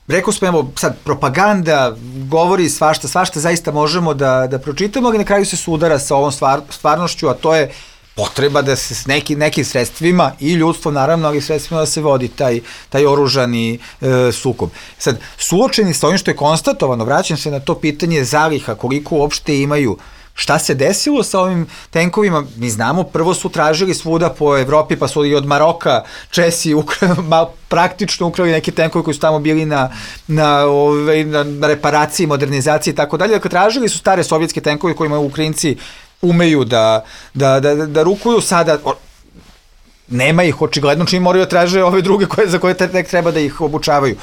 Rekao smo, evo, sad, propaganda govori svašta, svašta zaista možemo da, da pročitamo, ali na kraju se sudara sa ovom stvar, stvarnošću, a to je potreba da se s neki, nekim sredstvima i ljudstvo naravno, ali sredstvima da se vodi taj, taj oružani e, sukob. Sad, suočeni sa ovim što je konstatovano, vraćam se na to pitanje zaliha, koliko uopšte imaju, šta se desilo sa ovim tenkovima, mi znamo, prvo su tražili svuda po Evropi, pa su i od Maroka Česi ukra, ma, praktično ukrali neki tenkovi koji su tamo bili na, na, ove, na, na reparaciji, modernizaciji i tako dalje. Dakle, tražili su stare sovjetske tenkove kojima Ukrajinci umeju da, da, da, da rukuju sada. nema ih očigledno, čim moraju da traže ove druge koje, za koje tek treba da ih obučavaju.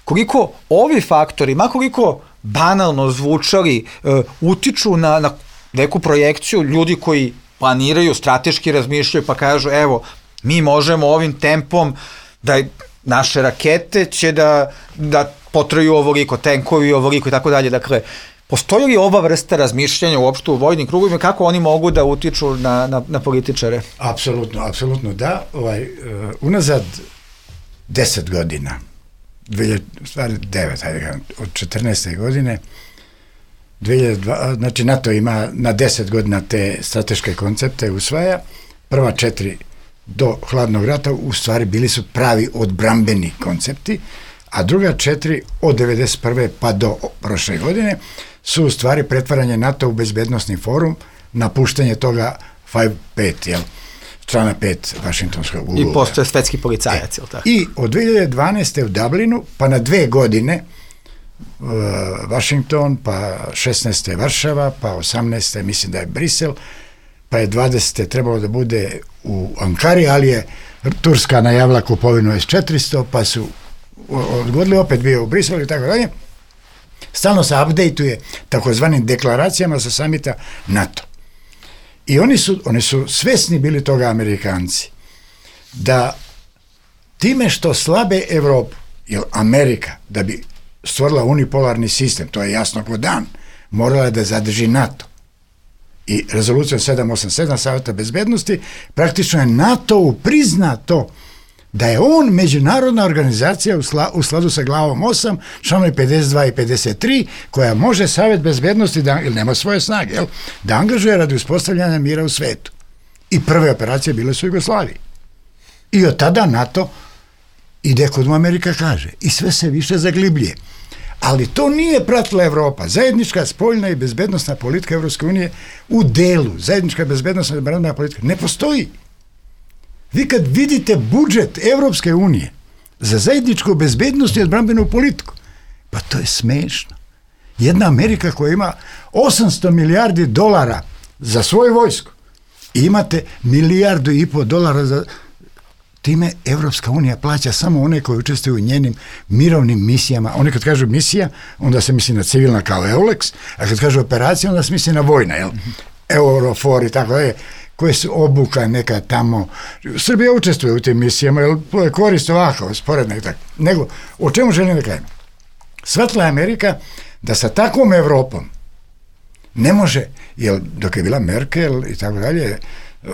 Koliko ovi faktori, makoliko banalno zvučali, uh, utiču na, na neku projekciju ljudi koji planiraju, strateški razmišljaju, pa kažu, evo, mi možemo ovim tempom da naše rakete će da, da potraju ovoliko, tenkovi ovoliko i tako dalje. Dakle, postoji li ova vrsta razmišljanja uopšte u vojnim krugovima, kako oni mogu da utiču na, na, na političare? Apsolutno, apsolutno da. Ovaj, uh, unazad deset godina, stvari devet, hajde, od četrnaeste godine, dve hiljade dva, znači NATO ima na deset godina te strateške koncepte usvaja, prva četiri do hladnog rata u stvari bili su pravi odbrambeni koncepti, a druga četiri od devedeset prve pa do prošle godine su u stvari pretvaranje NATO u bezbednosni forum, napuštanje toga pet pet, jel? Strana pet Vašingtonskog ugovora. I postoje svetski policajac, jel tako? I od dve hiljade dvanaeste u Dublinu, pa na dve godine uh, Washington, pa šesnaeste Varšava, pa osamnaeste mislim da je Brisel, pa je dvadesete trebalo da bude u Ankari, ali je Turska najavila kupovinu S četiristo, pa su odgodili, opet bio u Briselu i tako dalje. Stalno se updateuje takozvanim deklaracijama sa samita NATO. I oni su, oni su svesni bili toga, Amerikanci, da time što slabe Evropu, jer Amerika, da bi stvorila unipolarni sistem, to je jasno ko dan, morala je da zadrži NATO. I rezolucijom sedam osam sedam Saveta bezbednosti praktično je NATO priznato da je on međunarodna organizacija u, sla, u skladu sa glavom osam, članovi pedeset dva i pedeset tri, koja može Savet bezbednosti, da, ili nema svoje snage, jel, da angažuje radi uspostavljanja mira u svetu. I prve operacije bile su u Jugoslaviji. I od tada NATO ide kod mu Amerika kaže. I sve se više zaglibljuje. Ali to nije pratila Evropa. Zajednička spoljna i bezbednostna politika Evropske unije u delu, zajednička bezbednostna i bezbednostna politika ne postoji. Vi kad vidite budžet Evropske unije za zajedničku bezbednost i odbrambenu politiku, pa to je smešno. Jedna Amerika koja ima osamsto milijardi dolara za svoju vojsku i imate milijardu i po dolara za... Time Evropska unija plaća samo one koji učestvuju u njenim mirovnim misijama. Oni kad kažu misija, onda se misli na civilna kao EULEX, a kad kažu operacija, onda se misli na vojna, jel? Eurofor i tako dalje, koje su obuka neka tamo. Srbija učestvuje u tim misijama, jer to je korist ovako, sporedno i tako. Nego, o čemu želim da kažem? Shvatila je Amerika da sa takvom Evropom ne može, jer dok je bila Merkel i tako dalje,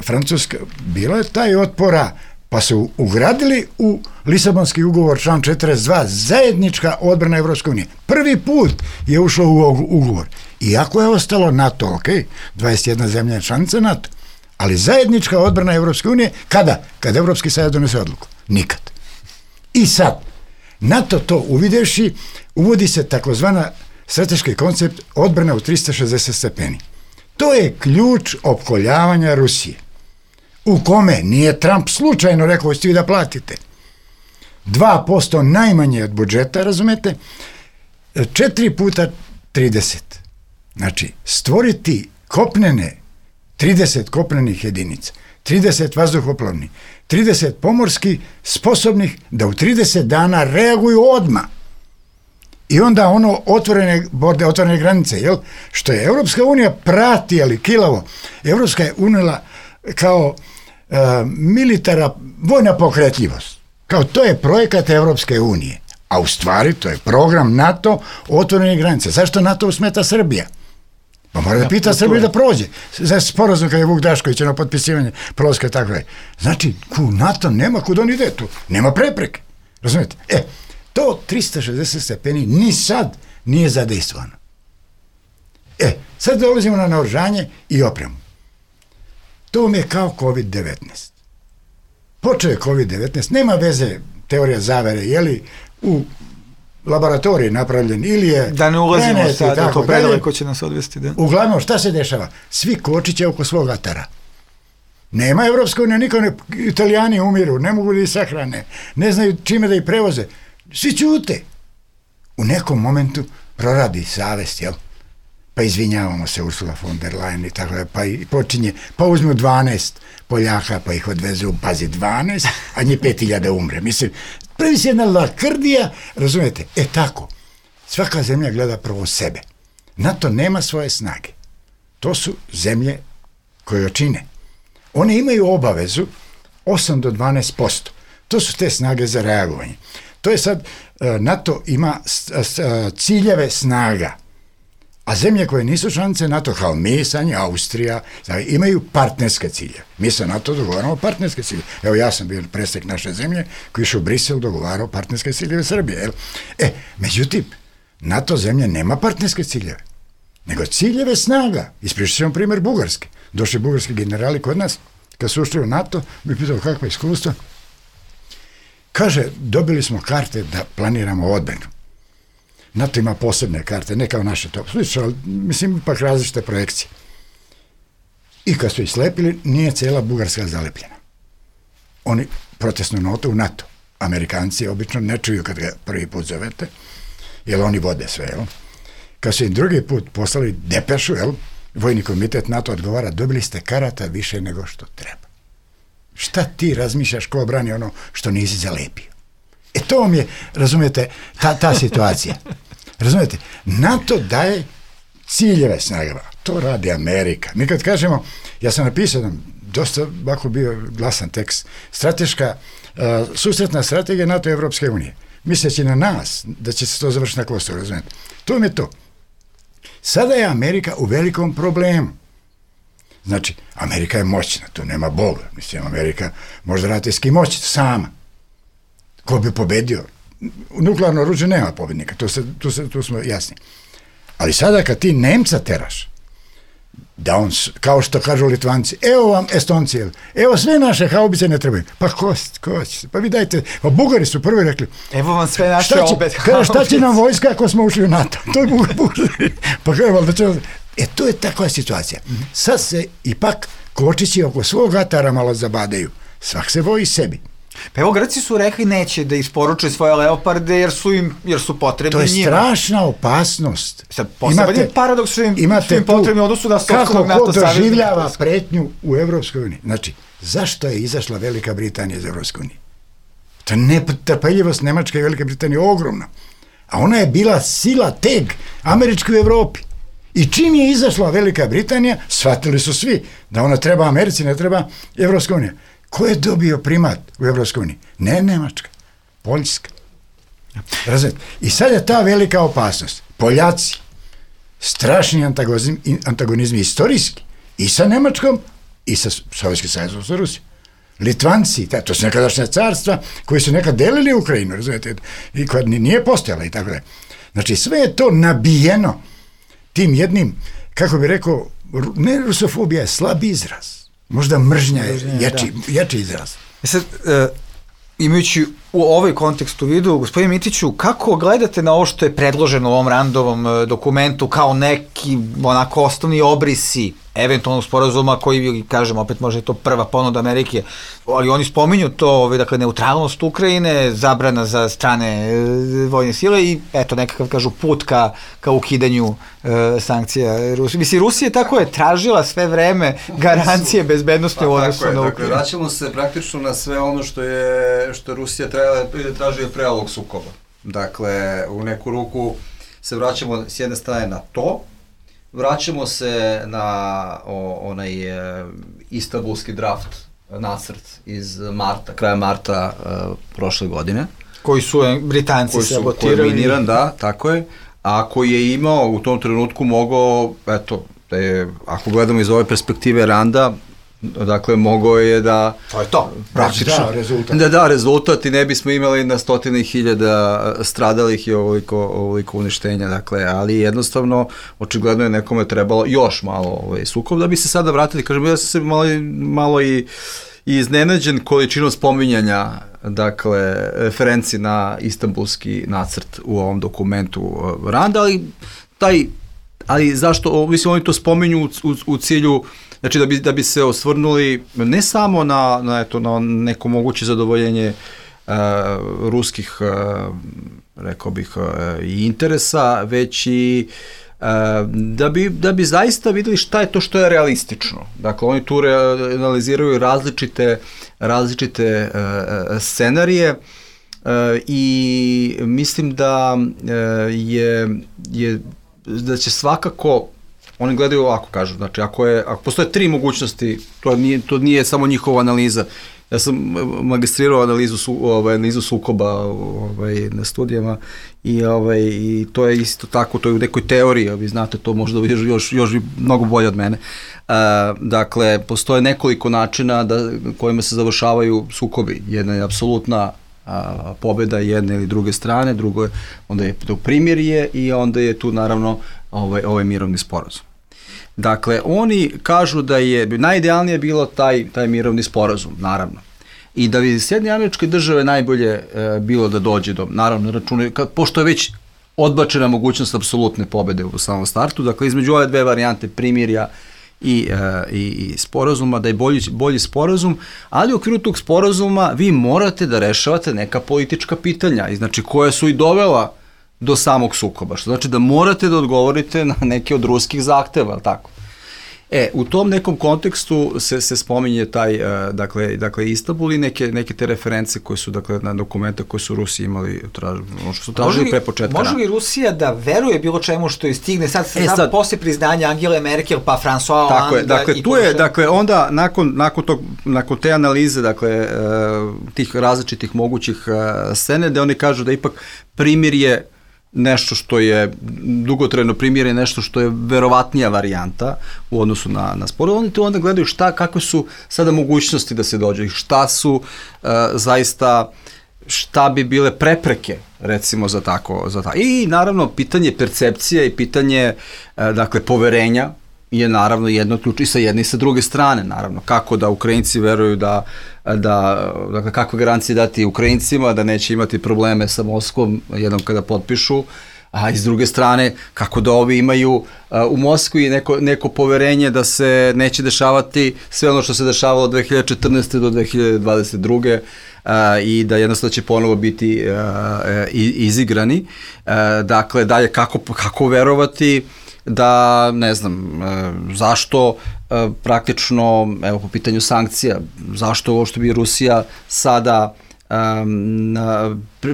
Francuska, bilo je taj otpora, pa su ugradili u Lisabonski ugovor član četrdeset dva zajednička odbrana Evropske unije. Prvi put je ušlo u ugovor. Iako je ostalo NATO, ok, dvadeset jedna zemlja je članica NATO, ali zajednička odbrana Evropske unije, kada? Kada Evropski savjet donese odluku. Nikad. I sad, NATO to uvidevši, uvodi se takozvana strateški koncept odbrana u trista šezdeset stepeni. To je ključ opkoljavanja Rusije. U kome nije Trump slučajno rekao ste vi da platite dva posto najmanje od budžeta, razumete, četiri puta trideset. Znači, stvoriti kopnene, trideset kopnenih jedinica, trideset vazduhoplovnih, trideset pomorskih sposobnih da u trideset dana reaguju odmah. I onda ono otvorene borde, otvorene granice, jel? Što je Evropska unija prati, ali kilavo. Evropska je unela kao uh, militara, vojna pokretljivost. Kao to je projekat Evropske unije. A u stvari to je program NATO otvorene granice. Zašto NATO smeta Srbija? Pa mora da pita Srbiju da prođe. Za sporazum kad je Vuk Drašković na potpisivanje prolaska tako je. Znači, ku NATO nema kud on ide tu. Nema prepreke. Razumijete? E, to trista šezdeset stepeni ni sad nije zadejstvano. E, sad dolazimo na naoružanje i opremu. To vam je kao kovid devetnaest. Počeo je kovid devetnaest, nema veze teorija zavere, je li u laboratoriji napravljen ili je... Da ne ulazimo sad, da to predaleko će nas odvesti. Da. Uglavnom, šta se dešava? Svi kočiće oko svog atara. Nema Evropska unija, niko ne... Italijani umiru, ne mogu da ih sahrane, ne znaju čime da ih prevoze. Svi ćute. U nekom momentu proradi savest, jel? pa izvinjavamo se Ursula von der Leyen i tako da, pa i počinje, pa uzmu dvanaest Poljaka, pa ih odvezu, pazi, dvanaest, a nje pet hiljada umre. Mislim, pravi se jedna lakrdija, razumijete? E tako, svaka zemlja gleda prvo sebe. NATO nema svoje snage. To su zemlje koje joj čine. One imaju obavezu osam do dvanaest posto. To su te snage za reagovanje. To je sad, NATO ima ciljeve snaga, a zemlje koje nisu članice NATO, kao mi, Sanja, Austrija, imaju partnerske cilje. Mi sa NATO dogovaramo partnerske cilje. Evo, ja sam bio predstavnik naše zemlje koji išao u Brisel dogovarao partnerske ciljeve Srbije. Jel? E, međutim, NATO zemlja nema partnerske ciljeve, nego ciljeve snaga. Ispričat ćemo primjer Bugarske. Došli bugarski generali kod nas, kad su ušli u NATO, bi pitao kakva iskustva. Kaže, dobili smo karte da planiramo odbranu. NATO ima posebne karte, ne kao naše to. Slično, ali mislim, ipak različite projekcije. I kad su ih slepili, nije cijela Bugarska zalepljena. Oni protestnu notu u NATO. Amerikanci obično ne čuju kad ga prvi put zovete, jer oni vode sve, jel? Kad su im drugi put poslali depešu, jel? Vojni komitet NATO odgovara, dobili ste karata više nego što treba. Šta ti razmišljaš ko brani ono što nisi zalepio? E to vam je, razumijete, ta, ta situacija. Razumijete, NATO daje ciljeve snagama. To radi Amerika. Mi kad kažemo, ja sam napisao nam, dosta ovako bio glasan tekst, strateška, uh, susretna strategija NATO i Evropske unije. Misleći na nas, da će se to završiti na Kosovu, razumijete. To vam je to. Sada je Amerika u velikom problemu. Znači, Amerika je moćna, tu nema Boga. Mislim, Amerika može ratinski moći sama. Ko bi pobedio? Nuklearno oružje nema pobednika, tu, se, tu, se, tu smo jasni. Ali sada kad ti Nemca teraš, da on, kao što kažu Litvanci, evo vam Estonci, evo sve naše haubice ne trebaju. Pa ko, ko će, pa vi dajte, pa Bugari su prvi rekli, evo vam sve naše šta će, opet haubice. Šta će nam vojska ako smo ušli u NATO? To je Bugari. Pa kao, da će... E, to je takva situacija. Sad se ipak kočići oko svog atara malo zabadaju. Svak se boji sebi. Pa evo, Grci su rekli neće da isporuče svoje leoparde jer su im, jer su potrebni njima. To je strašna opasnost. Sad, poseban je paradoks što im, što im potrebni odnosu na sopstvenog NATO savjeza. Kako ko doživljava pretnju u Evropskoj uniji. Znači, zašto je izašla Velika Britanija iz Evropske unije? Ta netrpeljivost Nemačke i Velike Britanije je ogromna. A ona je bila sila teg američke u Evropi. I čim je izašla Velika Britanija, shvatili su svi da ona treba Americi, ne treba Evropska unija. Ko je dobio primat u Evropskoj uniji? Ne Nemačka, Poljska. Razumijete? I sad je ta velika opasnost. Poljaci, strašni antagonizmi, antagonizmi istorijski, i sa Nemačkom, i sa Sovjetskim savezom, sa Rusijom. Litvanci, to su nekadašnja carstva koji su nekad delili Ukrajinu, razumijete, i koja nije postojala i tako da. Znači, sve je to nabijeno tim jednim, kako bi rekao, ne rusofobija je slab izraz, možda mržnja je jači, jači izraz. E sad, e, imajući u ovaj kontekst u vidu, gospodine Mitiću, kako gledate na ovo što je predloženo u ovom Randovom dokumentu kao neki onako osnovni obrisi eventualnog sporazuma koji, kažem, opet možda je to prva ponuda Amerike, ali oni spominju to, ovaj, dakle, neutralnost Ukrajine, zabrana za strane e, vojne sile i eto nekakav, kažu, put ka, ka ukidanju e, sankcija Rusije. Mislim, Rusija tako je tražila sve vreme garancije bezbednosti u odnosu na Ukrajinu. Dakle, vraćamo se praktično na sve ono što je, što Rusija tražila pre ovog sukoba. Dakle, u neku ruku se vraćamo s jedne strane na to, vraćamo se na o, onaj e, istanbulski draft, nacrt iz marta, kraja marta e, prošle godine. Koji su Britanci sabotirali. Koji je miniran, da, tako je. A koji je imao u tom trenutku mogao, eto, e, ako gledamo iz ove perspektive Randa, dakle, mogao je da... To je to. Praktično. Da, rezultat. Da, da, rezultat i ne bismo imali na stotine hiljada stradalih i ovoliko, ovoliko uništenja, dakle, ali jednostavno, očigledno je nekome trebalo još malo ovaj, sukob, da bi se sada vratili, kažem, ja sam se malo, malo i, i iznenađen količinom spominjanja, dakle, referenci na istanbulski nacrt u ovom dokumentu Randa, ali taj, ali zašto, mislim, oni to spominju u, u, u cilju, znači da bi, da bi se osvrnuli ne samo na, na, eto, na neko moguće zadovoljenje uh, ruskih, uh, rekao bih, uh, i interesa, već i uh, da bi, da bi zaista videli šta je to što je realistično. Dakle, oni tu analiziraju različite, različite scenarije i mislim da je, je da će svakako, oni gledaju ovako, kažu, znači ako, je, ako postoje tri mogućnosti, to nije, to nije samo njihova analiza. Ja sam magistrirao analizu, su, ovaj, analizu sukoba ovaj, na studijama i, ovaj, i to je isto tako, to je u nekoj teoriji, vi znate to možda još, još mnogo bolje od mene. Uh, dakle, postoje nekoliko načina da, kojima se završavaju sukobi. Jedna je apsolutna a, pobeda jedne ili druge strane, drugo je, onda je to primirje i onda je tu naravno ovaj, ovaj mirovni sporazum. Dakle, oni kažu da je najidealnije bilo taj, taj mirovni sporazum, naravno. I da bi Sjedinjene Američke Države najbolje e, bilo da dođe do, naravno, računaju, pošto je već odbačena mogućnost apsolutne pobede u samom startu, dakle, između ove dve varijante primirja i, e, i, i sporazuma, da je bolji, bolji sporazum, ali u okviru tog sporazuma vi morate da rešavate neka politička pitanja, i znači koja su i dovela do samog sukoba, što znači da morate da odgovorite na neke od ruskih zahteva, ali tako? E, u tom nekom kontekstu se, se spominje taj, uh, dakle, dakle, Istanbul i neke, neke te reference koje su, dakle, na dokumenta koje su Rusi imali, traž, što su tražili pre početka. Može li Rusija da veruje bilo čemu što stigne sad, e, sad posle priznanja Angele Merkel pa François Hollande? Dakle, i tu je, dakle, onda nakon, nakon, tog, nakon te analize, dakle, uh, tih različitih mogućih uh, scene, da oni kažu da ipak primirje nešto što je dugotrajno primirje, nešto što je verovatnija varijanta u odnosu na, na sporazum. Oni tu onda gledaju šta, kakve su sada mogućnosti da se dođe, šta su uh, zaista, šta bi bile prepreke, recimo, za tako, za tako. I naravno, pitanje percepcije i pitanje, uh, dakle, poverenja je naravno jedno ključ i sa jedne i sa druge strane, naravno. Kako da Ukrajinci veruju da, da dakle, kakve garancije dati Ukrajincima, da neće imati probleme sa Moskvom jednom kada potpišu, a iz druge strane, kako da ovi imaju uh, u Moskvi neko, neko poverenje da se neće dešavati sve ono što se dešavalo od dve hiljade četrnaeste do dve hiljade dvadeset druge. Uh, i da jednostavno će ponovo biti uh, uh, izigrani. Uh, dakle, dalje, kako, kako verovati da, ne znam, zašto praktično, evo, po pitanju sankcija, zašto ovo što bi Rusija sada um,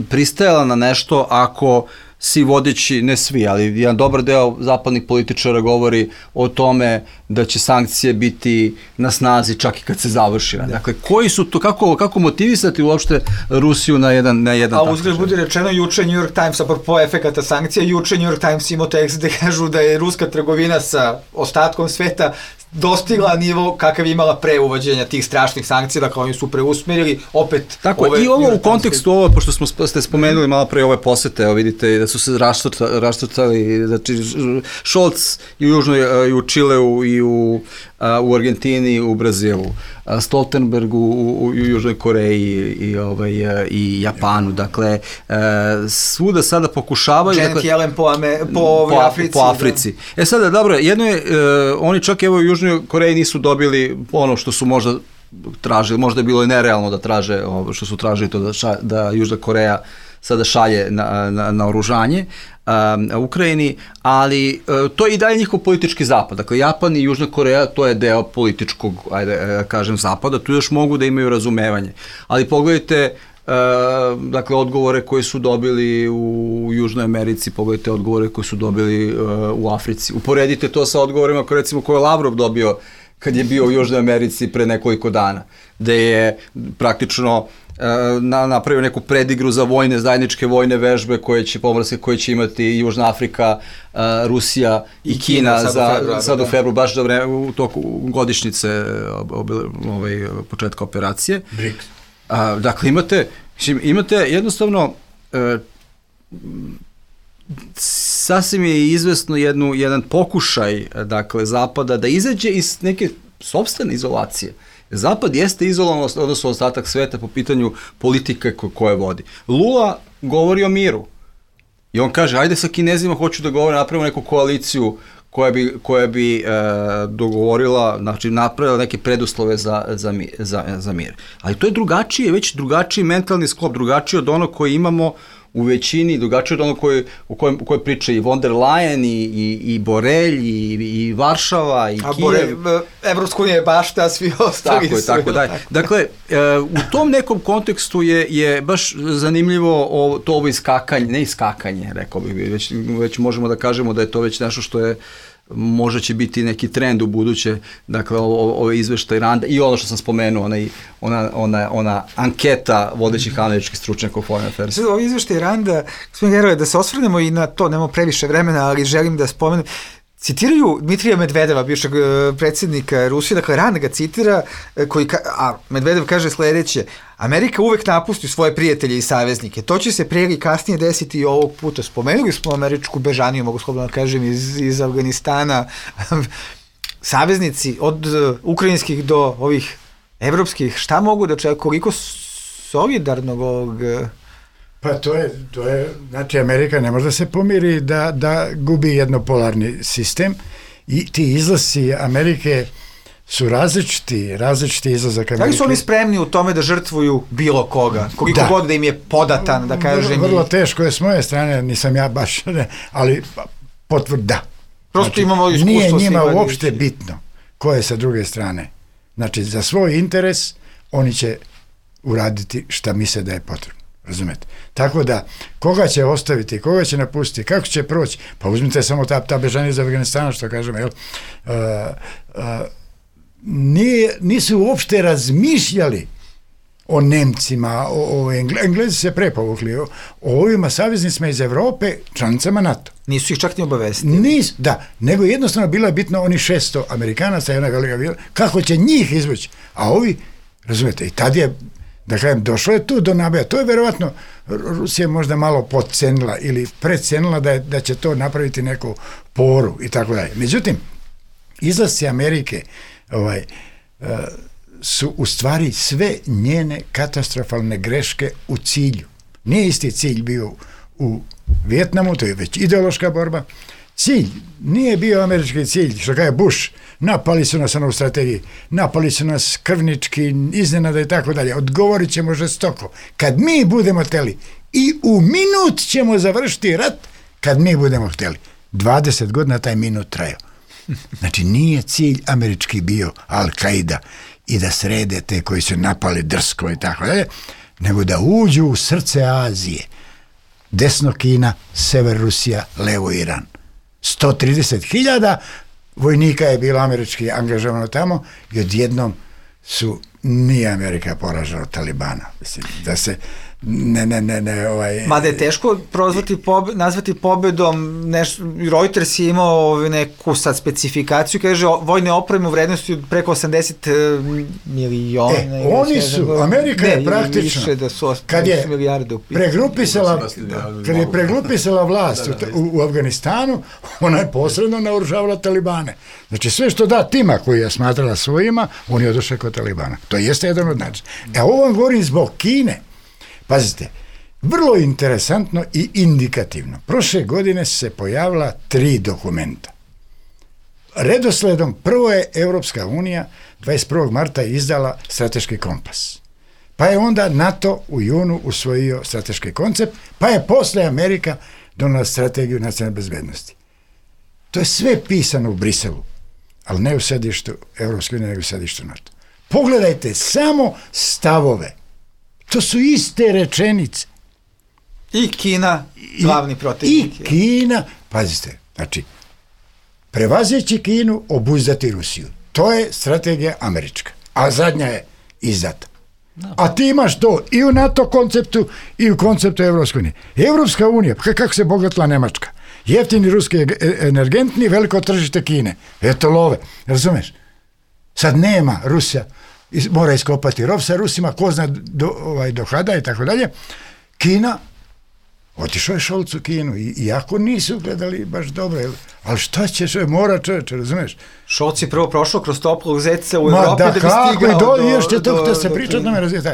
pristajala na nešto ako svi vodeći, ne svi, ali jedan dobar deo zapadnih političara govori o tome da će sankcije biti na snazi čak i kad se završi. Dakle, koji su to, kako, kako motivisati uopšte Rusiju na jedan, na jedan A uzgled budi rečeno, juče New York Times, apropo efekata sankcija, juče New York Times imao tekst gde kažu da je ruska trgovina sa ostatkom sveta dostigla nivo kakav je imala pre uvođenja tih strašnih sankcija, dakle oni su preusmerili opet. Tako, ove, i ovo u kontekstu, ovo, pošto smo ste spomenuli malo pre ove posete, evo vidite da su se raštrtali, znači Scholz i u Južnoj, i u Čileu, i u, u Argentini, u Brazilu, Stoltenberg u, u, u Južnoj Koreji i, ovaj, i Japanu, dakle, svuda sada pokušavaju... Janet dakle, Yellen po, ame, po, po Africi. Po Africi. Da. E sada, dobro, jedno je, oni čak evo u Južnoj Koreji nisu dobili ono što su možda tražili, možda je bilo i nerealno da traže, ovo što su tražili to da, ša, da Južna Koreja sada šalje na, na, na oružanje um, Ukrajini, ali uh, to je i dalje njihov politički zapad. Dakle, Japan i Južna Koreja, to je deo političkog, ajde, kažem, zapada, tu još mogu da imaju razumevanje. Ali pogledajte, uh, dakle, odgovore koje su dobili u Južnoj Americi, pogledajte odgovore koje su dobili uh, u Africi. Uporedite to sa odgovorima koje, recimo, koje je Lavrov dobio kad je bio u Južnoj Americi pre nekoliko dana, gde je praktično Na, napravio neku predigru za vojne, zajedničke vojne vežbe koje će pomorske, koje će imati Južna Afrika, uh, Rusija i, I Kina, Kina za, februar, sad u februaru, baš da vreme, u toku godišnjice ob, ob, ovaj, početka operacije. BRICS. Uh, dakle, imate, imate jednostavno uh, sasvim je izvesno jednu, jedan pokušaj, dakle, Zapada da izađe iz neke sopstvene izolacije. Zapad jeste izolovan, odnosno ostatak sveta po pitanju politike ko, koje vodi. Lula govori o miru i on kaže, ajde sa Kinezima hoću da govore, napravimo neku koaliciju koja bi, koja bi e, dogovorila, znači napravila neke preduslove za, za, za, za mir. Ali to je drugačije, već drugačiji mentalni sklop, drugačiji od onog koji imamo u većini drugačije od ono koje, u kojem, u kojoj priče i von der Leyen i, i, i Borelj i, i Varšava i a Kijev. Borelj, Evropska unija je bašta, a svi ostali tako su. Tako je, tako da. Dakle, u tom nekom kontekstu je, je baš zanimljivo o, to ovo iskakanje, ne iskakanje, rekao bih, već, već možemo da kažemo da je to već nešto što je možda će biti neki trend u buduće, dakle, ove izveštaj Randa i ono što sam spomenuo, ona, ona, ona, ona anketa vodećih američkih stručnjaka u Foreign Affairs. Ovo izveštaj Randa, gospodin Gerove, da se osvrnemo i na to, nemamo previše vremena, ali želim da spomenem, citiraju Dmitrija Medvedeva, bivšeg predsjednika Rusije, dakle Rand ga citira, koji ka, a Medvedev kaže sledeće: Amerika uvek napusti svoje prijatelje i saveznike. To će se prije ili kasnije desiti i ovog puta. Spomenuli smo američku bežaniju, mogu slobodno da kažem, iz, iz Afganistana. Saveznici od ukrajinskih do ovih evropskih, šta mogu da čekaju, koliko solidarnog ovog... Pa to je, to je, znači Amerika ne može da se pomiri da, da gubi jednopolarni sistem i ti izlasi Amerike su različiti, različiti izlazak Amerike. Da li su oni spremni u tome da žrtvuju bilo koga? Koliko da. god da im je podatan, da kažem... Vrlo, vrlo teško je s moje strane, nisam ja baš, ne, ali potvrd da. Prosto znači, imamo iskustvo. Nije njima uopšte bitno ko je sa druge strane. Znači, za svoj interes oni će uraditi šta misle da je potrebno. Razumete? Tako da, koga će ostaviti, koga će napustiti, kako će proći, pa uzmite samo ta, ta bežanja iz Afganistana, što kažem, jel? Uh, uh, nije, nisu uopšte razmišljali o Nemcima, o, o Engle, Englezi se prepovukli, o, o ovima saveznicima iz Evrope, članicama NATO. Nisu ih čak ni obavestili. Nis, da, nego jednostavno bilo je bitno oni šesto Amerikanaca i ona velika bila, kako će njih izvući, a ovi, razumete, i tad je, da kažem, došlo je tu do nabaja. To je verovatno Rusija možda malo podcenila ili predcenila da, je, da će to napraviti neku poru i tako dalje. Međutim, izlasci Amerike ovaj, uh, su u stvari sve njene katastrofalne greške u cilju. Nije isti cilj bio u Vijetnamu, to je već ideološka borba. Cilj nije bio američki cilj, što kaže Bush, napali su nas u strategiji, napali su nas krvnički, iznenada i tako dalje, odgovorit ćemo žestoko. Kad mi budemo hteli, i u minut ćemo završiti rat, kad mi budemo hteli. dvadeset godina taj minut trajao. Znači, nije cilj američki bio Al-Qaida i da srede te koji su napali drsko i tako dalje, nego da uđu u srce Azije. Desno Kina, sever Rusija, levo Iran. sto trideset hiljada vojnika je bilo američki angažovano tamo i odjednom su nije Amerika poražena od Talibana. Mislim, da se ne, ne, ne, ne, ovaj... Mada je teško prozvati, pobe, nazvati pobedom, nešto, Reuters je imao neku sad specifikaciju, kaže vojne opreme u vrednosti preko osamdeset miliona. E, oni su, Amerika ne, je praktično, više da su kad je milijarde pregrupisala, kad je pregrupisala vlast da, da, da. U, u Afganistanu, ona je posredno naoružavala Talibane. Znači sve što da tima koji je smatrala svojima, on je odošao kod Talibana. To jeste jedan od načina. E, ovo vam govorim zbog Kine. Pazite, vrlo interesantno i indikativno. Prošle godine se pojavila tri dokumenta. Redosledom prvo je Evropska unija dvadeset prvog marta izdala strateški kompas. Pa je onda NATO u junu usvojio strateški koncept, pa je posle Amerika donala strategiju nacionalne bezbednosti. To je sve pisano u Briselu, ali ne u sedištu Evropske unije, nego u sedištu NATO. Pogledajte samo stavove. To su iste rečenice. I Kina, glavni protivnik. I Kina, pazite, znači, prevazeći Kinu, obuzdati Rusiju. To je strategija američka, a zadnja je izdata. No. A ti imaš to i u NATO konceptu i u konceptu Evropske unije. Evropska unija, kako se bogatila Nemačka? Jeftini ruski energentni, veliko tržište Kine. Eto love, razumeš? Sad nema Rusija, mora iskopati rov sa Rusima, ko zna do, ovaj, do kada i tako dalje. Kina, otišao je Šolc u Kinu, i, iako nisu gledali baš dobro, ali šta ćeš, mora čovječe, razumeš? Šolc je prvo prošao kroz toplog zeca u Evropi da, da bi stigao do... do... Još će to da se priča o tome razvijeti.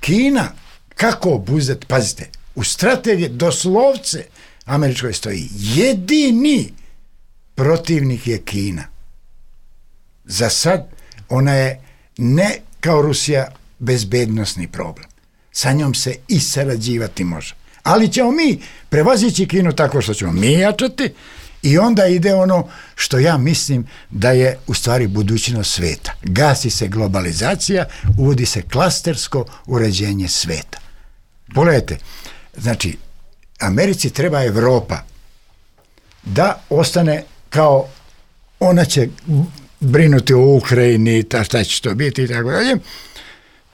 Kina, kako obuzdati, pazite, u strategiji doslovce američkoj stoji, jedini protivnik je Kina. Za sad ona je ne kao Rusija bezbednosni problem. Sa njom se i sarađivati može. Ali ćemo mi prevazići Kinu tako što ćemo mi jačati i onda ide ono što ja mislim da je u stvari budućnost sveta. Gasi se globalizacija, uvodi se klastersko uređenje sveta. Pogledajte, znači, Americi treba Evropa da ostane kao, ona će brinuti o Ukrajini, ta šta će to biti i tako dalje.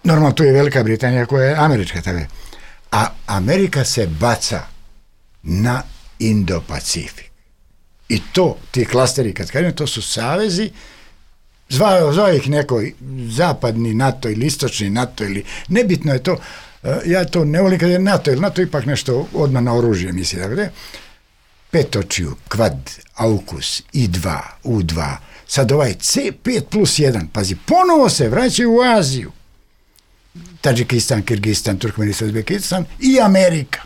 Normalno tu je Velika Britanija koja je američka, tako je. A Amerika se baca na Indo-Pacifik. I to, ti klasteri, kad kažem, to su savezi, zvao, zvao ih neko zapadni NATO ili istočni NATO ili, nebitno je to, ja to ne volim kad je NATO, jer NATO ipak nešto odmah na oružje misli, tako da petočiju, kvad, aukus, i dva, u dva, sad ovaj C pet plus jedan, pazi, ponovo se vraćaju u Aziju, Tadžikistan, Kirgistan, Turkmenistan, Uzbekistan i Amerika.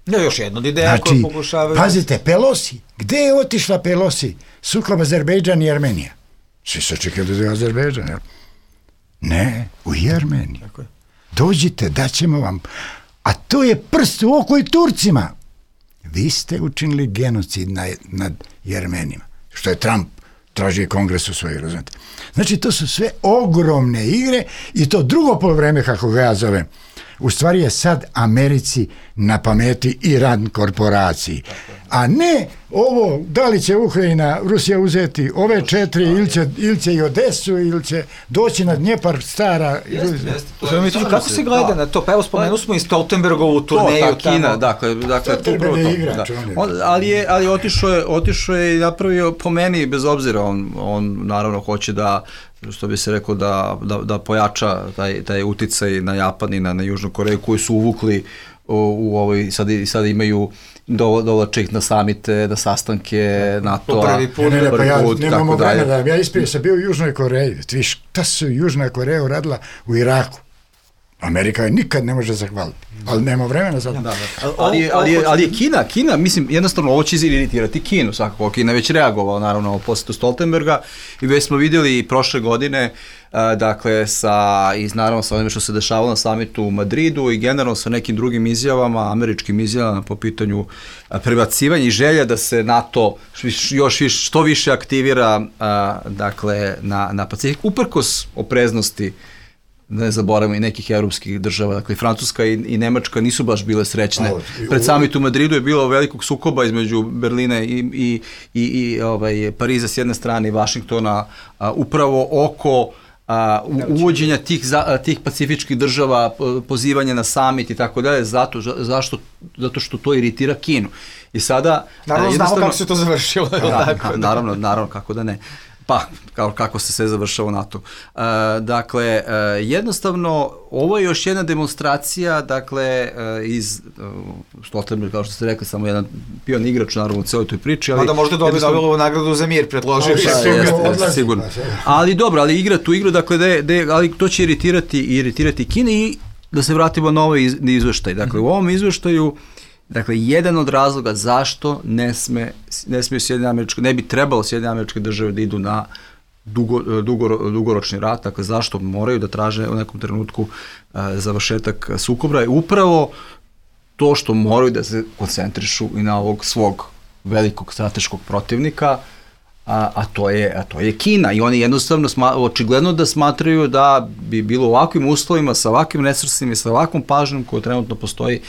Ja, još jedna od ideja znači, koju pokušavaju... Pazite, Pelosi, gde je otišla Pelosi? Sukob Azerbejdžan i Armenija. Svi se čekaju da je Azerbejdžan, jel? Ne, u Jermeniju. Dođite, daćemo vam. A to je prst u oko i Turcima. Vi ste učinili genocid na, nad Jermenima. Što je Trump traži kongres u svojoj, razumete. Znači, to su sve ogromne igre i to drugo polovreme, kako ga ja zovem, u stvari je sad Americi na pameti i rad korporaciji. A ne ovo, da li će Ukrajina, Rusija uzeti ove četiri, ili će, ili će i Odesu, ili će doći na Dnjepar stara. Jeste, jeste. Kako se gleda na to? Pa evo spomenu smo i Stoltenbergovu turneju. To, ta Kina, dakle, dakle, upravo to. On, ali je, ali otišao je, otišao je i napravio, po meni, bez obzira, on, on naravno hoće da, što bi se rekao, da, da, da pojača taj, taj uticaj na Japan i na, na Južnu Koreju, koji su uvukli u, u ovoj, sad, sad imaju dovlače ih na samite, na sastanke NATO-a. Prvi put, ne, ne, pa ja nemamo vremena da ja isprije sam bio u Južnoj Koreji. Ti viš, šta su Južna Koreja uradila u Iraku? Amerika je nikad ne može zahvaliti, ali nema vremena za to. Da, da. Ali, ali, ali je Kina, Kina, mislim, jednostavno ovo će iziritirati Kinu, svakako. Kina je već reagovala, naravno, o posjetu Stoltenberga i već smo vidjeli i prošle godine, a, dakle, sa, i naravno sa onim što se dešavalo na samitu u Madridu i generalno sa nekim drugim izjavama, američkim izjavama po pitanju a, prebacivanja i želja da se NATO još više, što više aktivira, a, dakle, na, na Pacifik, uprkos opreznosti, ne zaboravimo, i nekih evropskih država, dakle Francuska i, i Nemačka nisu baš bile srećne. Pred samit u Madridu je bilo velikog sukoba između Berlina i, i, i, i ovaj, Pariza s jedne strane i Vašingtona, a, upravo oko a, u, uvođenja tih, za, tih pacifičkih država, pozivanja na samit i tako dalje, zato, zašto, zato što to iritira Kinu. I sada... Naravno, znamo kako se to završilo. Da, tako, naravno, naravno, kako da ne. Pa, kao, kako se sve završava NATO. E, dakle, e, jednostavno, ovo je još jedna demonstracija, dakle, e, iz uh, Stoltenberg, kao što ste rekli, samo jedan pion igrač, naravno, u celoj toj priči. Ali, Mada možda dobije Nobelovu nagradu za mir, predložio. Jeste, jeste, sigurno. Ali dobro, ali igra tu igru, dakle, de, de, ali to će iritirati, iritirati Kini i da se vratimo na ovaj iz, izveštaj. Dakle, u ovom izveštaju, dakle, jedan od razloga zašto ne sme, ne smiju Sjedinjene Američke, ne bi trebalo Sjedinjene Američke države da idu na dugo, dugo, dugoročni rat, dakle, zašto moraju da traže u nekom trenutku a, završetak sukoba, je upravo to što moraju da se koncentrišu i na ovog svog velikog strateškog protivnika, a, a, to je, a to je Kina. I oni jednostavno sma, očigledno da smatraju da bi bilo u ovakvim uslovima, sa ovakvim resursima i sa ovakvom pažnjom koja trenutno postoji,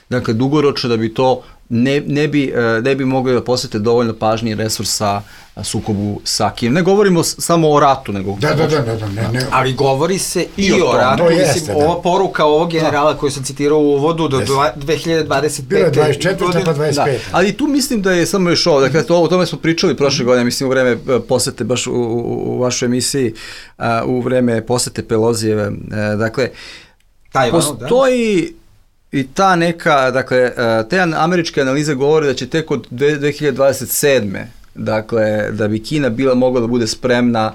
dakle, dugoročno da bi to ne, ne, bi, ne bi mogli da posvete dovoljno pažnje i resursa sukobu sa Kinom. Ne govorimo samo o ratu, nego... Da, da, da, da, ne, ne. Ali govori se i, I o, o ratu. Mislim, jeste, ova da. Poruka ovog generala da. Koju sam citirao u uvodu do dve hiljade dvadeset pete. Bilo je dvadeset četvrta pa dvadeset peta. Da. Ali tu mislim da je samo još ovo, dakle, to, o tome smo pričali prošle godine, mislim u vreme posete, baš u, u, u vašoj emisiji, u vreme posete Pelozijeve. Dakle, Tajvanu, postoji... Da. I ta neka, dakle, te američke analize govore da će tek od dve hiljade dvadeset sedme dakle, da bi Kina bila mogla da bude spremna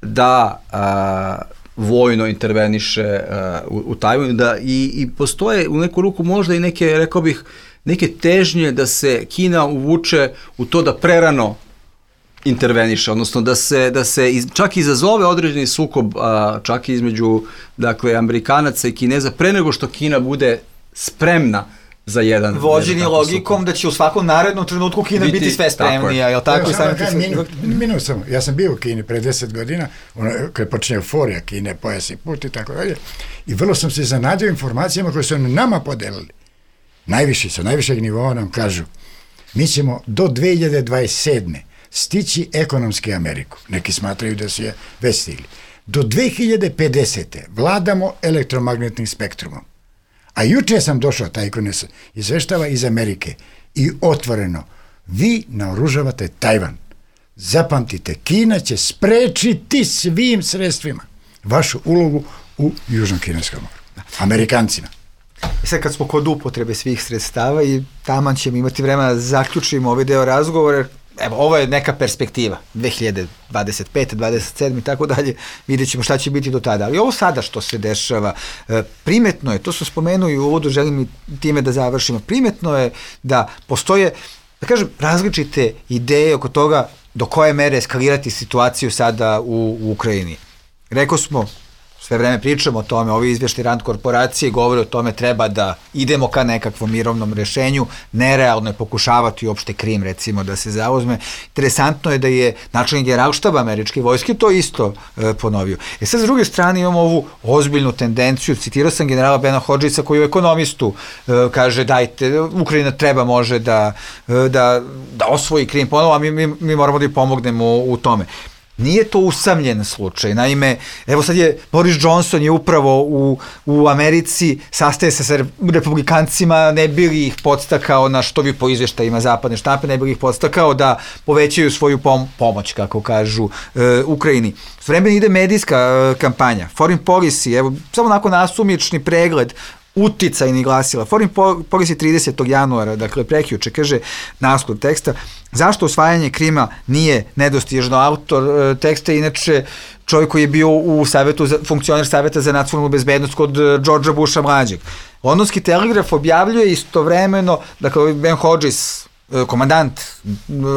da a, vojno interveniše a, u, u Tajvanu, da i, i postoje u neku ruku možda i neke, rekao bih, neke težnje da se Kina uvuče u to da prerano interveniše, odnosno da se, da se iz, čak izazove određeni sukob, a, čak između, dakle, Amerikanaca i Kineza, pre nego što Kina bude spremna za jedan... Vođeni logikom super. Da će u svakom narednom trenutku Kina biti, biti sve spremnija, je li tako? Ja, sam kaj, minut, minut sam, ja sam bio u Kini pre deset godina, ono, kada je počinje euforija Kine, pojas i put i tako dalje, i vrlo sam se zanadio informacijama koje su nama podelili. Najviši, sa najvišeg nivoa nam kažu, mi ćemo do dve hiljade dvadeset sedme stići ekonomski Ameriku. Neki smatraju da su je već stigli. Do dve hiljade pedesete vladamo elektromagnetnim spektrumom. A juče sam došao, taj koji nas izveštava iz Amerike, i otvoreno, vi naoružavate Tajvan. Zapamtite, Kina će sprečiti svim sredstvima vašu ulogu u Južnom kineskom moru. Amerikancima. I sad kad smo kod upotrebe svih sredstava i taman ćemo imati vremena da zaključimo ovaj deo razgovora, evo, ovo je neka perspektiva, dve hiljade dvadeset pete, dvadeset sedme i tako dalje, vidjet ćemo šta će biti do tada. Ali ovo sada što se dešava, primetno je, to su spomenuli u uvodu, želim i time da završimo, primetno je da postoje, da kažem, različite ideje oko toga do koje mere eskalirati situaciju sada u, u Ukrajini. Rekao smo, sve vreme pričamo o tome, ovi izvještaji Rand korporacije govore o tome treba da idemo ka nekakvom mirovnom rešenju, nerealno je pokušavati uopšte Krim recimo da se zauzme. Interesantno je da je načelnik generalštaba američke vojske to isto e, ponovio. E sad s druge strane imamo ovu ozbiljnu tendenciju, citirao sam generala Bena Hodžisa koji u Ekonomistu e, kaže dajte, Ukrajina treba može da, e, da, da osvoji Krim ponovo, a mi, mi, mi moramo da i pomognemo u, u tome. Nije to usamljen slučaj. Naime, evo sad je Boris Johnson je upravo u, u Americi, sastaje se sa republikancima, ne bi li ih podstakao na što bi po izvještajima zapadne štampe, ne bi li ih podstakao da povećaju svoju pom- pomoć, kako kažu, e, Ukrajini. S vremena ide medijska e, kampanja, foreign policy, evo, samo onako nasumični pregled, uticajni glasila. Foreign policy tridesetog januara, dakle prekjuče, kaže naslov teksta, zašto osvajanje Krima nije nedostižno? Autor e, teksta je inače čovjek koji je bio u savetu, za, funkcioner saveta za nacionalnu bezbednost kod Georgea Busha mlađeg. Londonski telegraf objavljuje istovremeno, dakle Ben Hodges, komandant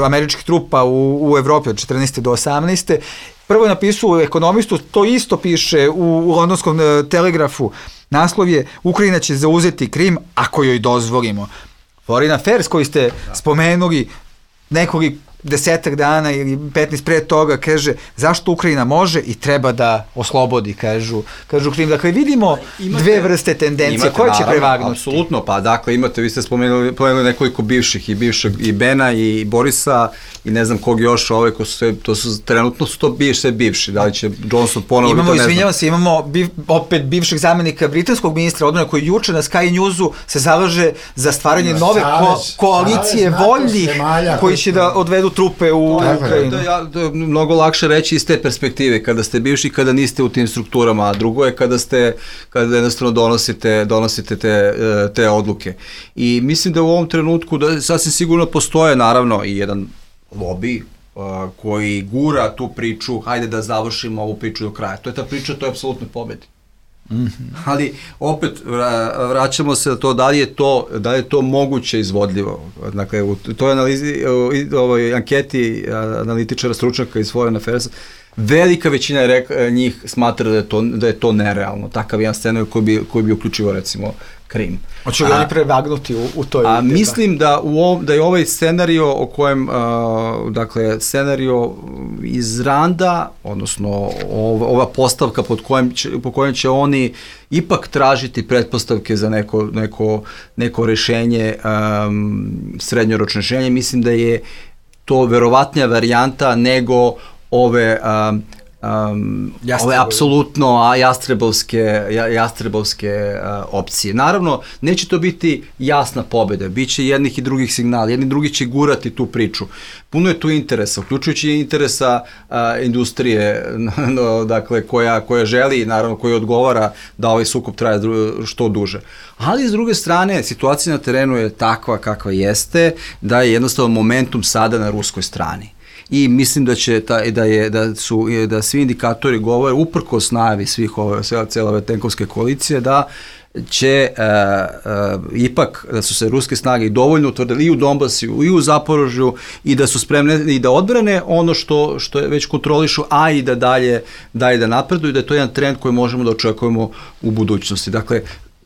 američkih trupa u, u Evropi od četrnaeste do osamnaeste prvo je napisao u Ekonomistu, to isto piše u, u londonskom telegrafu. Naslov je Ukrajina će zauzeti Krim ako joj dozvolimo. Foreign Affairs koji ste spomenuli nekoliko desetak dana ili petnaest pre toga kaže zašto Ukrajina može i treba da oslobodi, kažu, kažu Krim. Dakle, vidimo imate, dve vrste tendencije, imate, koje će naravno, prevagnuti? Apsolutno, pa dakle, imate, vi ste spomenuli, spomenuli nekoliko bivših, i bivšeg, i Bena, i Borisa, i ne znam kog još, ove, ko su sve, to su, trenutno su to bivši, sve bivši, da li će Johnson ponovo, imamo, to ne znam. Izvinjavam se, imamo biv, opet bivšeg zamenika britanskog ministra odbrane koji juče na Sky Newsu se zalaže za stvaranje no, nove savez, ko, koalicije savez, voljnih koji će da odvedu trupe u Ukrajinu. To je, to je mnogo lakše reći iz te perspektive, kada ste bivši, kada niste u tim strukturama, a drugo je kada ste, kada jednostavno donosite, donosite te, te odluke. I mislim da u ovom trenutku, da sasvim sigurno postoje naravno i jedan lobby uh, koji gura tu priču, hajde da završimo ovu priču do kraja. To je ta priča, to je apsolutno pobedi. Mm-hmm. Ali opet vraćamo se na to da li je to, da li je to moguće izvodljivo. Dakle, u toj analizi, u ovoj anketi analitičara, stručnjaka iz Foreign Affairs, velika većina je rek, njih smatra da je to, da je to nerealno. Takav jedan scenarij koji bi, koji bi uključivo recimo Krim. Hoće li oni prevagnuti u, u toj... A mislim da, u ov, da je ovaj scenario o kojem, uh, dakle, scenario iz Randa, odnosno ov, ova postavka pod kojem će, po kojem će oni ipak tražiti pretpostavke za neko, neko, neko rešenje, um, srednjoročno rešenje, mislim da je to verovatnija varijanta nego ove... Um, Um, ove apsolutno a jastrebovske, jastrebovske uh, opcije. Naravno, neće to biti jasna pobjeda, bit će jednih i drugih signala, jedni drugi će gurati tu priču. Puno je tu interesa, uključujući interesa uh, industrije, no, dakle, koja, koja želi, naravno, koja odgovara da ovaj sukob traje što duže. Ali, s druge strane, situacija na terenu je takva kakva jeste, da je jednostavno momentum sada na ruskoj strani. I mislim da će ta, da je da su da svi indikatori govore uprkos najavi svih ove cele ove tenkovske koalicije da će uh, uh, ipak da su se ruske snage dovoljno utvrdili i u Donbasu i u Zaporožju i da su spremne i da odbrane ono što što je već kontrolišu, a i da dalje dalje da napreduju, da je to jedan trend koji možemo da očekujemo u budućnosti. Dakle,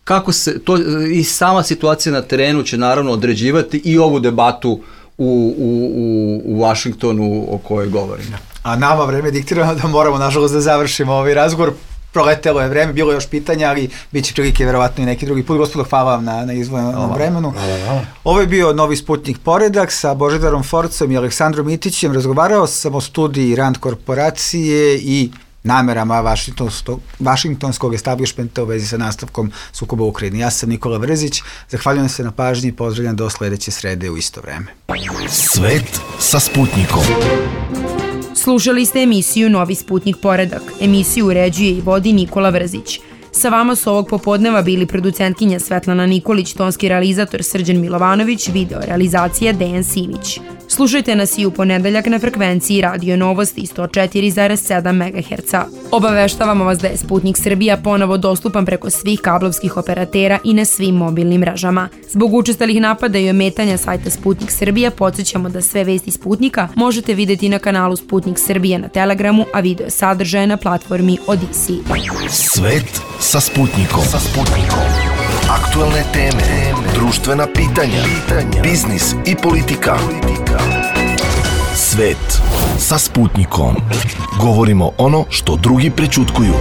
kako se, to, i sama situacija na terenu će naravno određivati i ovu debatu u, u, u, u Washingtonu o kojoj govorimo. A nama vreme diktirano da moramo, nažalost, da završimo ovaj razgovor. Proletelo je vreme, bilo je još pitanja, ali bit će prilike verovatno i neki drugi put. Gospodo, hvala vam na, na izvojenom vremenu. Hvala, hvala. Ovo je bio Novi Sputnik Poredak sa Božidarom Forcom i Aleksandrom Mitićem. Razgovarao sam o studiji Rand korporacije i namerama vašingtonskog, vašingtonskog establishmenta u vezi sa nastavkom sukoba u Ukrajini. Ja sam Nikola Vrzić, zahvaljujem se na pažnji i pozdravljam do sledeće srede u isto vreme. Svet sa Sputnikom. Slušali ste emisiju Novi Sputnik Poredak. Emisiju uređuje i vodi Nikola Vrzić. Sa vama su ovog popodneva bili producentkinja Svetlana Nikolić, tonski realizator Srđan Milovanović, video realizacija Dejan Simić. Slušajte nas i u ponedeljak na frekvenciji Radio Novosti sto četiri zarez sedam megaherca. Obaveštavamo vas da je Sputnik Srbija ponovo dostupan preko svih kablovskih operatera i na svim mobilnim mrežama. Zbog učestalih napada i ometanja sajta Sputnik Srbija podsjećamo da sve vesti Sputnika možete videti na kanalu Sputnik Srbija na Telegramu, a video sadržaje na platformi Odisi. Svet sa Sputnikom. Sa Sputnikom. Aktuelne teme, društvena pitanja, biznis i politika. Svet sa Sputnikom. Govorimo ono što drugi prećutkuju.